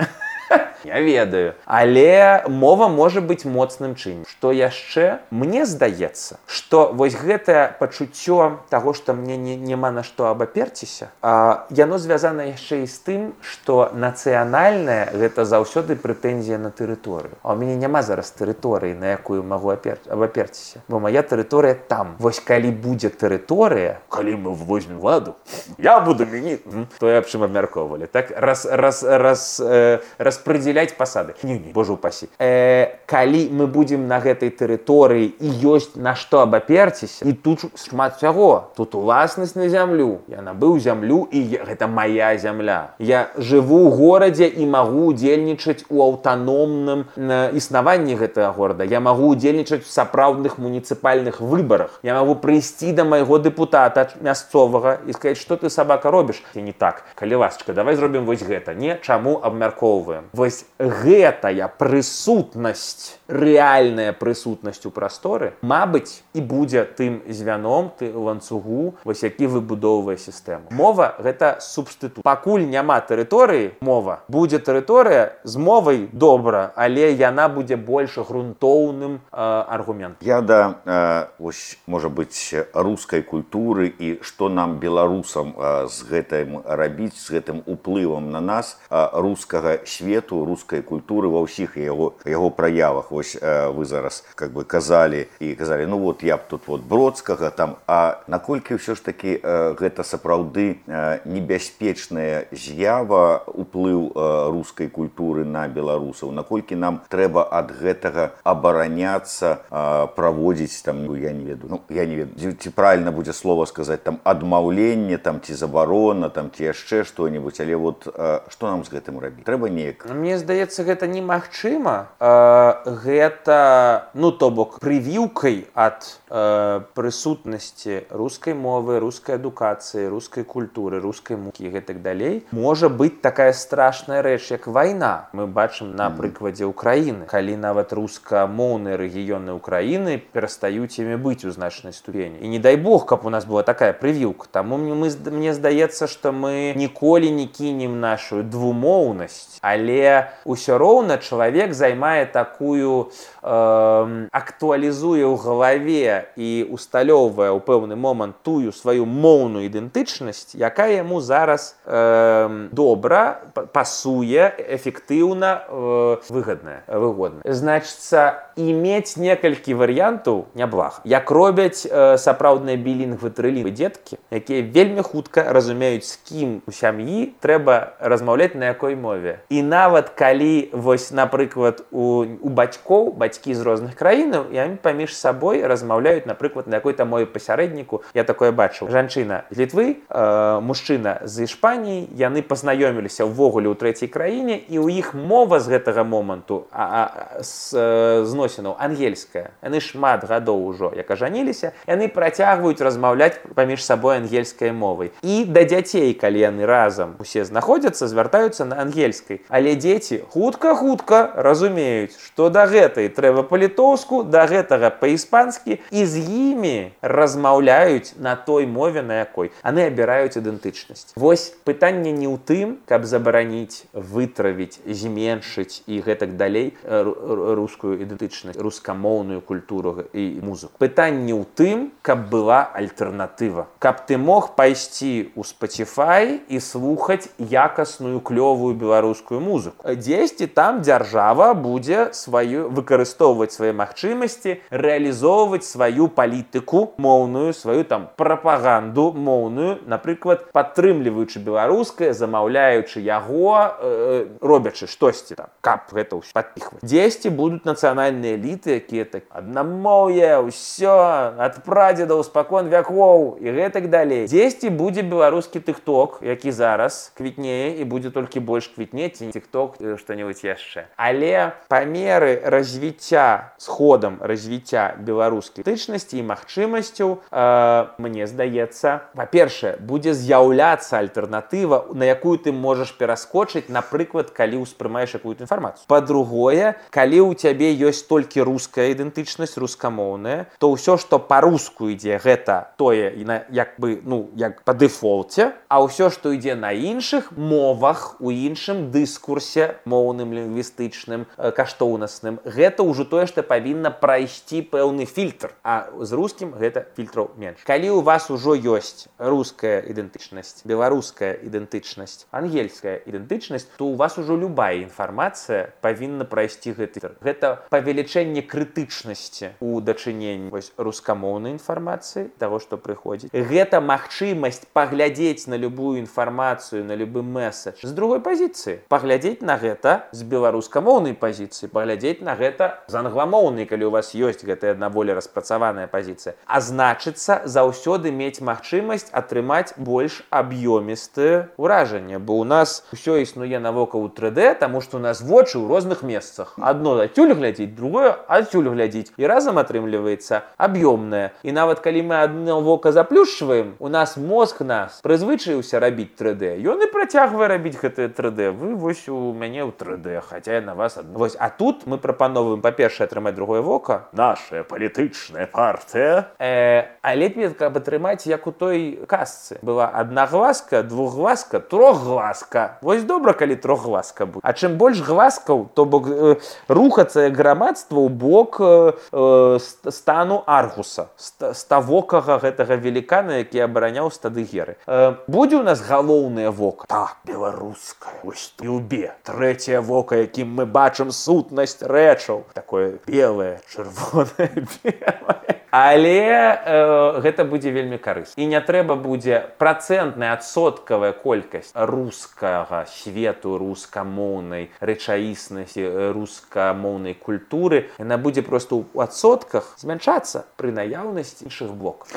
Я ведаю. Але мова можа быць моцным чыннікам. Што яшчэ? Мне здаецца, што вось гэтае пачуццё таго, што мне не, няма на што абаперціся, а, яно звязана яшчэ і з тым, што нацыянальнае гэта заўсёды прэтэнзія на тэрыторыю. А ў мяне няма зараз тэрыторыі, на якую магу абаперціся. Бо моя тэрыторыя там. Вось калі будзе тэрыторыя, калі мы возьмем ладу, я буду мяніць, то я аб чым абмяркоўвалі. Так, раз, раз, раз, э, распрэдзяляць пасады. Не, не, божа упасі. Э, калі мы будзем на гэтай тэрыторыі і ёсць на што абаперціся, і тут шмат всяго. Тут уласнасць на зямлю. Я набыў зямлю, і я, гэта моя зямля. Я жыву ў горадзе і магу удзельнічаць у аўтаномным э, існаванні гэтага горада. Я магу удзельнічаць у сапраўдных муніцыпальных выбарах. Я магу прыйсці да майго дэпутата мясцовага і сказаць, што ты, сабака, робіш? І не так. Калі ласачка, давай зробім вось гэта. Не, чаму абмяркоўваем? Вось гэтая прысутнасць, рэальная прысутнасць у прасторы, мабыць, і будзе тым звяном, ты ланцугу, вось які выбудоўвае сістэму. Мова — гэта субстытут. Пакуль няма тэрыторыі, мова. Будзе тэрыторыя з мовай добра, але яна будзе больш грунтоўным э, аргументам. Я да, э, вось, можа быць, рускай культуры і што нам, беларусам, э, з гэтым рабіць, з гэтым уплывам на нас, э, рускага свету, рускай культуры ва ўсіх яго, яго праявах. Вось э, вы зараз как бы казалі і казалі, ну вот я б тут вот Бродскага там, а наколькі ўсё ж такі э, гэта сапраўды э, небяспечная з'ява, уплыў э, рускай культуры на беларусаў, наколькі нам трэба ад гэтага абараняцца, э, праводзіць там, ну, я не ведаю, ну я не ведаю, ці правильно будзе слова сказаць там адмаўленне, там ці забарона, там ці яшчэ што-небудзь, але вот э, што нам з гэтым рабіць? Трэба неяк. Мне здаецца, гэта немагчыма. Э, гэта, ну то бок, прывіўкай ад э, прысутнасці рускай мовы, рускай адукацыі, рускай культуры, рускай мукі і гэтак далей можа быць такая страшная рэч, як вайна. Мы бачым на прыкладзе Украіны, калі нават рускамоўныя рэгіёны Украіны перастаюць імі быць у значнай ступені. І не дай Бог, каб у нас была такая прывіўка. Таму мы, мне здаецца, што мы ніколі не кінем нашу двумоўнасць, але ўсё роўна чалавек займае такую, э, актуалізуе ў галаве і усталёўвае ў пэўны момант тую сваю моўную ідэнтычнасць, якая яму зараз э, добра, пасуе, эфектыўна, э, выгадная, выгодная. Значыцца, имець некалькі варыянтаў няблага. Як робяць э, сапраўдныя білінгвы, трылінгвы дзеткі, якія вельмі хутка разумеюць, з кім у сям'і трэба размаўляць на якой мове. І нават калі, вось, напрыклад, у, у бацькоў, бацькі з розных краінаў, яны паміж сабой размаўляюць, напрыклад, на якой-то мове пасярэдніку. Я такое бачыў. Жанчына з Літвы, э, мужчына з Ішпаніі, яны пазнаёміліся ўвогуле ў трэцяй краіне, і ў іх мова з гэтага моманту а, а, з, э, зносінаў ангельская. Яны шмат гадоў ужо, як ажаніліся, яны працягваюць размаўляць паміж сабой ангельскай мовай. І да дзяцей, калі яны разам усе знаходзяцца, звяртаюцца на ангельскай. Але дзеці хутка-хутка разумеюць, што да гэтай трэба па-літоўску, да гэтага па-іспанскі, і з імі размаўляюць на той мове, на якой. Яны абіраюць ідэнтычнасць. Вось пытанне не ў тым, каб забараніць, вытравіць, зменшыць і гэтак далей рускую ідэнтычнасць, рускамоўную культуру і музыку. Пытанне ў тым, каб была альтэрнатыва. Каб ты мог пайсці ў Spotify і слухаць якасную, клёвую беларускую музыку. Дзесьці там дзяржава будзе сваю, выкарыстоўваць свае магчымасці, рэалізоўваць сваю палітыку моўную, сваю там прапаганду моўную, напрыклад, падтрымліваючы беларускае, замаўляючы яго, э, робячы штосьці там, каб гэта ўсё падпіхваць. Дзесьці будуць нацыянальныя эліты, якія так аднамоўе, ўсё, ад прадзедаў спакон вякоў і гэтак далей. Дзесьці будзе беларускі тык-ток, які зараз квітнее і будзе толькі больш квітнець, і тык-ток, што-небудзь яшчэ. Але па меры развіцця, з ходам развіцця беларускай ідэнтычнасці і магчымасцяў, э, мне здаецца, па-першае, будзе з'яўляцца альтэрнатыва, на якую ты можаш пераскочыць, напрыклад, калі ўспрымаеш якую-то інфармацыю. Па-другое, калі ў цябе ёсць толькі руская ідэнтычнасць, рускамоўная, то ўсё, што па-руску ідзе, гэта тое, як бы, ну, як па дэфолце, а ўсё, што ідзе на іншых мовах, у іншым дыскурсе, фільтрзе моўным, лінгвістычным, каштоўнасным. Гэта ўжо тое, што павінна прайсці пэўны фільтр, а з рускім гэта фільтраў менш. Калі у вас ужо ёсць руская ідэнтычнасць, беларуская ідэнтычнасць, ангельская ідэнтычнасць, то у вас ужо любая інфармацыя павінна прайсці гэты фільтр. Гэта павелічэнне крытычнасці у дачыненні вось рускамоўнай інфармацыі, таго, што прыходзіць. Гэта магчымасць паглядзець на любую інфармацыю, на любы месседж з другой пазіцыі. Паглядзець на гэта з беларускамоўнай пазіцыі, паглядзець на гэта з англамоўнай, калі у вас ёсць гэтая адна болей распрацаваная пазіцыя. А значыцца, заўсёды мець магчымасць атрымаць больш аб'ёмістае ўражанне, бо ў нас усё існуе навокал у тры дэ, таму што у нас вочы ў розных месцах. Адно адсюль глядзіць, другое адсюль глядзіць. І разам атрымліваецца аб'ёмнае. І нават калі мы адно вока заплюшчваем, у нас мозг нас прызвычаіўся рабіць тры дэ. Ён і працягвае рабіць гэтае тры дэ. Вы вось у мяне ў тры дэ, хаця я на вас адно. Вось, а тут мы прапановваем, па-першае, атрымаць другое вока. Нашая палітычная партыя. Э, а лепей, каб атрымаць, як у той казцы. Была аднагласка, двухгласка, трохгласка. Вось добра, калі трохгласка будзе. А чым больш гласкаў, то бок э, рухацца грамадства ў бок э, стану Аргуса, ставокага гэтага велікана, які абараняў стады Геры. Э, будзе у нас галоўнае вока? Так, беларускае. Вось любе. Трэцяе вока, якім мы бачым сутнасць рэчаў. Такое белае, чырвонае, белае. Але э, гэта будзе вельмі карысна. І не трэба будзе працэнтная адсоткавая колькасць рускага свету, рускамоўнай рэчаіснасці, рускамоўнай культуры. Яна будзе проста ў адсотках змяншацца пры наяўнасці іншых блокаў.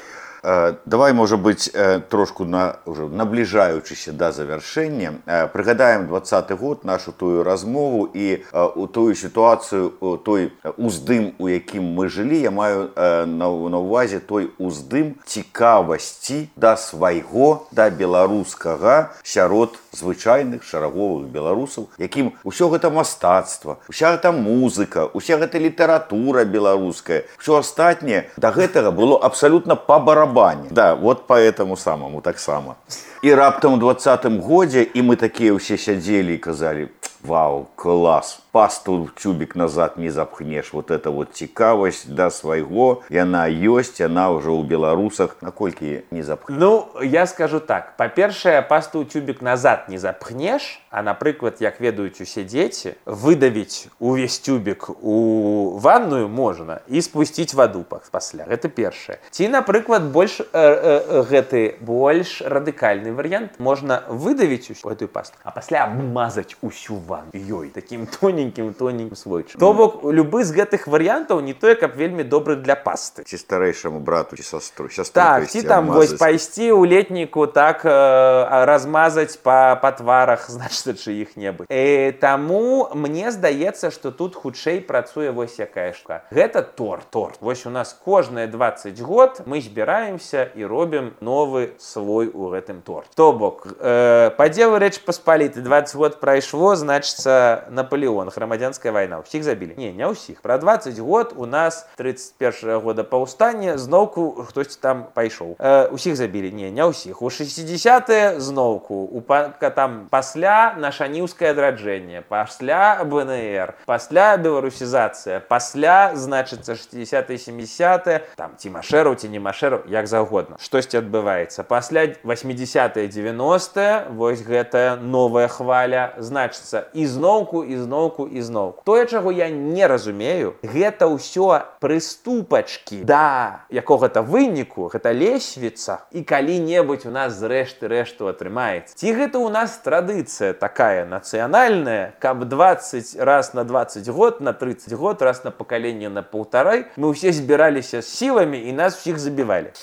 Давай, можа быць, трошку на, уже набліжаючыся да завяршэння, прыгадаем двадцаты год, нашу тую размову і у тую сітуацыю, той уздым, у якім мы жылі, я маю на, на ўвазе той уздым цікавасці да свайго, да беларускага сярод звычайных шараговых беларусаў, якім усё гэта мастацтва, уся гэта музыка, уся гэта літаратура беларуская, усё астатняе да гэтага было абсалютна па барабане. Да, вот по этому самому так само. И раптом в двадцатым годзе, и мы такие все сидели и казали: вау, класс, пасту тюбик назад не запхнешь. Вот это вот цікавасць да свайго, яна ёсць, яна уже у беларусах. Наколькі не запхнешь? Ну, я скажу так. Па-першае, пасту тюбик назад не запхнешь, а, напрыклад, як ведаюць усе дзеці, выдавіць увесь тюбик у ванную можна і спусціць ваду пасля. Гэта першае. Ці, напрыклад, больш э, э, гэты больш радыкальны варыянт. Можна выдавіць усю гэтую пасту, а пасля абмазаць усю ванну ёй таким тоненьким-тоненьким слойчыкам. То бок, любы з гэтых варыянтаў не тое, каб вельмі добры для пасты. Ці старэйшаму брату, ці састру, сястру. Так, ці там вось пайсці ў летніку, так э, размазаць па, па тварах, значыць, чыіх-небудзь. Э, таму мне здаецца, што тут хутчэй працуе вось якая штука. Гэта торт, торт. Вось у нас кожныя дваццаць год мы збіраемся і робім новы слой у гэтым торт. То бок, э, падзелу Рэч Паспалітай дваццаць год прайшло, значыцца, Наполеон, грамадзянская вайна. Усіх забілі? Не, не ўсіх. Пра дваццаць год у нас трыццаць першага года паўстання зноўку хтось там пайшоў. Э, усіх забілі? Не, не ўсіх. У шэсцідзесятыя зноўку, у там пасля нашаніўскае адраджэнне, пасля бэ эн эр, пасля беларусізацыя, пасля, значыцца, шэсцідзесятыя сямідзесятыя, там Тимашэраў ці не Машэраў, як заўгодна. Штосьці адбываецца. Пасля васьмідзесятыя дзевяностыя, вось гэтая новая хваля, значыцца, і зноўку, і зноўку, і зноўку. Тое, чаго я не разумею, гэта ўсё прыступачкі да якога-то выніку, гэта лесвіца, і калі-небудзь у нас зрэшты рэшту атрымаецца. Ці гэта ў нас традыцыя такая нацыянальная, каб дваццаць раз на дваццаць год, на трыццаць год, раз на пакаленне на паўтарай, мы ўсе збіраліся з сіламі і нас усіх забівалі.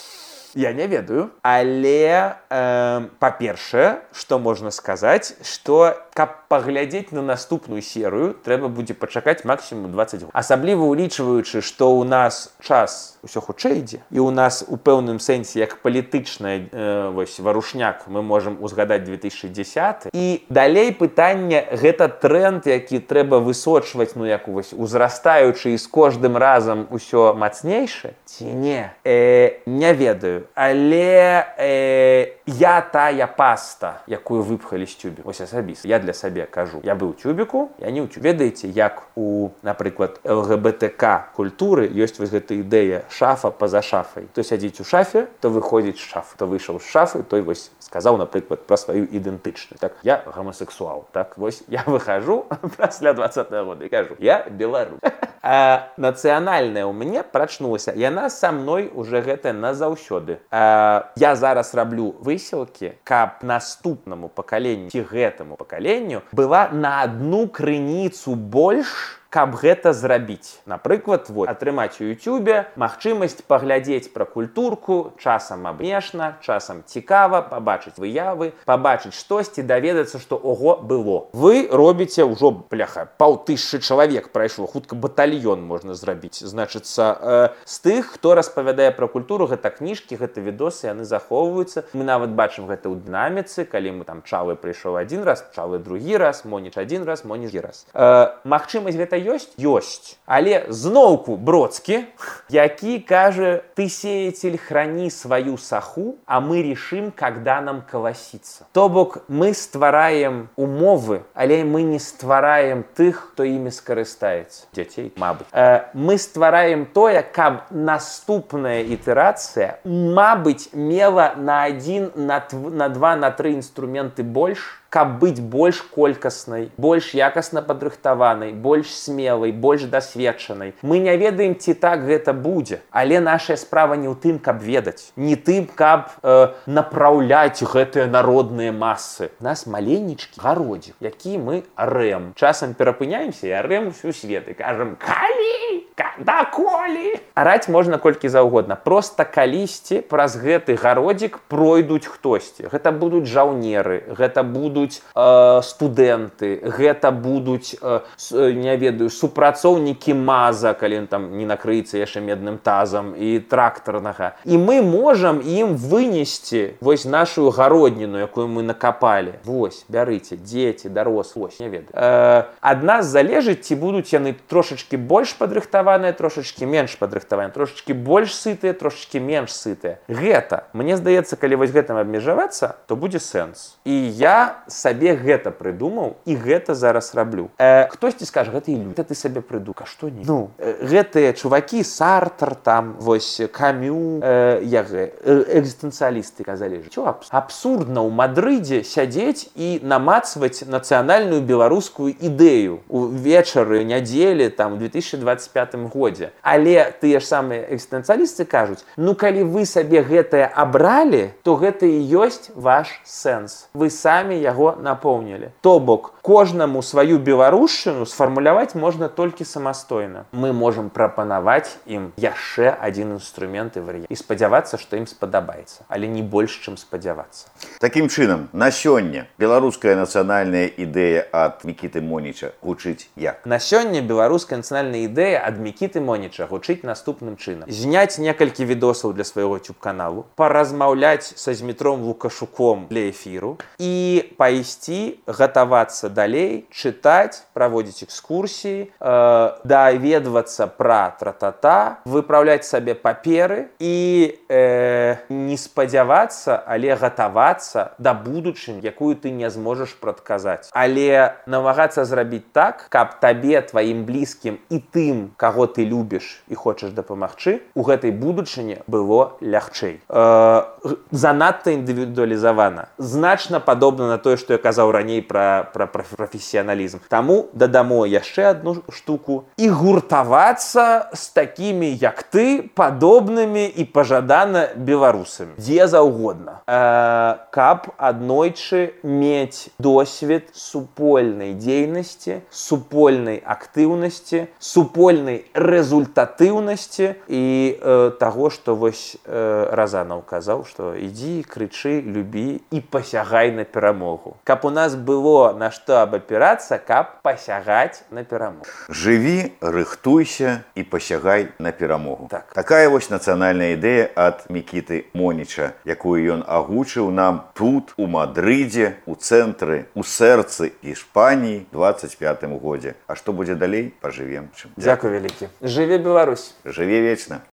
Я не ведаю, але э, па-першае, што можна сказаць, што каб паглядзець на наступную серыю, трэба будзе пачакаць максімум дваццаць год. Асабліва улічваючы, што ў нас час усё хутчэй ідзе, і ў нас у пэўным сэнсе як палітычная э, вось варушняк мы можам узгадаць две тысячы дзесяты. І далей пытанне, гэта тренд, які трэба высочваць, ну як вось узрастаючы і з кожным разам усё мацнейшы, ці не? Э, не ведаю. але э, я тая паста, якую выпхалі з тюбі. Вось асабіста. Я для сабе кажу, я быў у тюбіку, я не ў тюбе. Ведаеце, як у, напрыклад, эл гэ бэ тэ ка культуры ёсць вось гэта ідэя шафа па-за шафай. То сядзіць у шафе, то выходзіць з шафы. То выйшаў з шафы, той вось сказаў, напрыклад, пра сваю ідэнтычнасць. Так, я гомасексуал. Так, вось я выхожу пасля двадцатага года і кажу, я беларус. А нацыянальная ў мяне прачнулася. Яна са мной уже гэта назаўсёды. А, я зараз раблю высілкі, каб наступнаму пакаленню ці гэтаму пакаленню была на одну крыніцу больш, каб гэта зрабіць. Напрыклад, вот, атрымаць у ютубе магчымасць паглядзець пра культурку, часам абнешна, часам цікава, пабачыць выявы, пабачыць штосьці, даведацца, што ого было. Вы робіце ўжо, бляха, паўтысячы чалавек прайшло, хутка батальён можна зрабіць. Значыцца, э, з тых, хто распавядае пра культуру, гэта кніжкі, гэта відосы, яны захоўваюцца. Мы нават бачым гэта ў дынаміцы, калі мы там Чалы прыйшоў адзін раз, Чалы другі раз, Моніч адзін раз, Моніч другі раз. Э, магчымасць гэта ёсць? Ёсць. Але зноўку Бродскі, які кажа, ты, сеятель, храни свою саху, а мы решим, когда нам колоситься. То бок, мы ствараем умовы, але мы не ствараем тых, хто імі скарыстаецца. Дзяцей, мабыць. Э, мы ствараем тое, каб наступная ітерацыя, мабыць, мела на адзін, на, на два, на тры інструменты больш, каб быць больш колькаснай, больш якасна падрыхтаванай, больш смелай, больш дасведчанай. Мы не ведаем, ці так гэта будзе, але нашая справа не ў тым, каб ведаць, не тым, каб э, направляць гэтыя народныя масы. У нас маленечкі гародзік, які мы арэм. Часам перапыняемся і арэм усю свет і кажам, калі? Даколі? Араць можна колькі заўгодна. Проста калісьці праз гэты гародзік пройдуць хтосьці. Гэта будуць жаўнеры, гэта будуць э, студэнты, гэта будуць, э, не ведаю, супрацоўнікі маза, калі там не накрыецца яшчэ медным тазам і трактарнага. І мы можам ім вынесці вось нашу гародніну, якую мы накапалі. Вось, бярыце, дзеці, дарослыя, вось, не ведаю. Э, ад нас залежыць, ці будуць яны трошачкі больш падрыхтаваныя, трошечки менш падрыхтаваныя, трошечки больш сытыя, трошечки менш сытыя. Гэта, мне здаецца, калі вось гэтым абмежавацца, то будзе сэнс. І я сабе гэта прыдумаў і гэта зараз раблю. Э, хтосьці скажа, гэта ілюзія. Гэта ты сабе прыдумаў, а што не? Ну, э, гэтыя чувакі, Сартр, там, вось, Камю, э, як э, экзістэнцыялісты казалі, што абс... абсурдна ў Мадрыдзе сядзець і намацваць нацыянальную беларускую ідэю у вечары, нядзелі, там, у две тысячи двадцать пятым годзе. Але тыя ж самыя экзістэнцыялісты кажуць, ну калі вы сабе гэтае абралі, то гэта і ёсць ваш сэнс. Вы самі яго напоўнілі. То бок, кожнаму сваю беларушчыну сфармуляваць можна толькі самастойна. Мы можам прапанаваць ім яшчэ адзін інструмент і варыянт. І спадзявацца, што ім спадабаецца. Але не больш, чым спадзявацца. Такім чынам, на сёння беларуская нацыянальная ідэя ад Мікіты Моніча гучыць як? На сёння беларуская нацыянальная ідэя ад Мікіты Моніча гучыць наступным чынам. Зняць некалькі відосаў для свайго YouTube-каналу, паразмаўляць са Змітром Лукашуком для эфіру і пайсці гатавацца далей, чытаць, праводзіць экскурсіі, э, даведвацца пра тра-та-та, выпраўляць сабе паперы і э, не спадзявацца, але гатавацца да будучыні, якую ты не зможаш прадказаць. Але намагацца зрабіць так, каб табе, тваім блізкім і тым, каго ты любіш і хочаш дапамагчы, у гэтай будучыні было лягчэй. Э, занадта індывідуалізавана. Значна падобна на тое, што я казаў раней пра, пра, пра прафесіяналізм. Таму дадамо яшчэ адну штуку і гуртавацца з такімі, як ты, падобнымі і пажадана беларусамі. Дзе заўгодна. Э, каб аднойчы мець досвед супольнай дзейнасці, супольнай актыўнасці, супольнай результатыўнасці і э, таго, што вось э, Разанаў казаў, што ідзі, крычы, любі і пасягай на перамогу. Каб у нас было на што абапірацца, каб пасягаць на перамогу. Жыві, рыхтуйся і пасягай на перамогу. Так. Такая вось нацыянальная ідэя ад Мікіты Моніча, якую ён агучыў нам тут, у Мадрыдзе, у цэнтры, у сэрцы Іспаніі двадцать пятым годзе. А што будзе далей, пажывем. Дзякуй вялікі. Жыве Беларусь. Жыве вечна.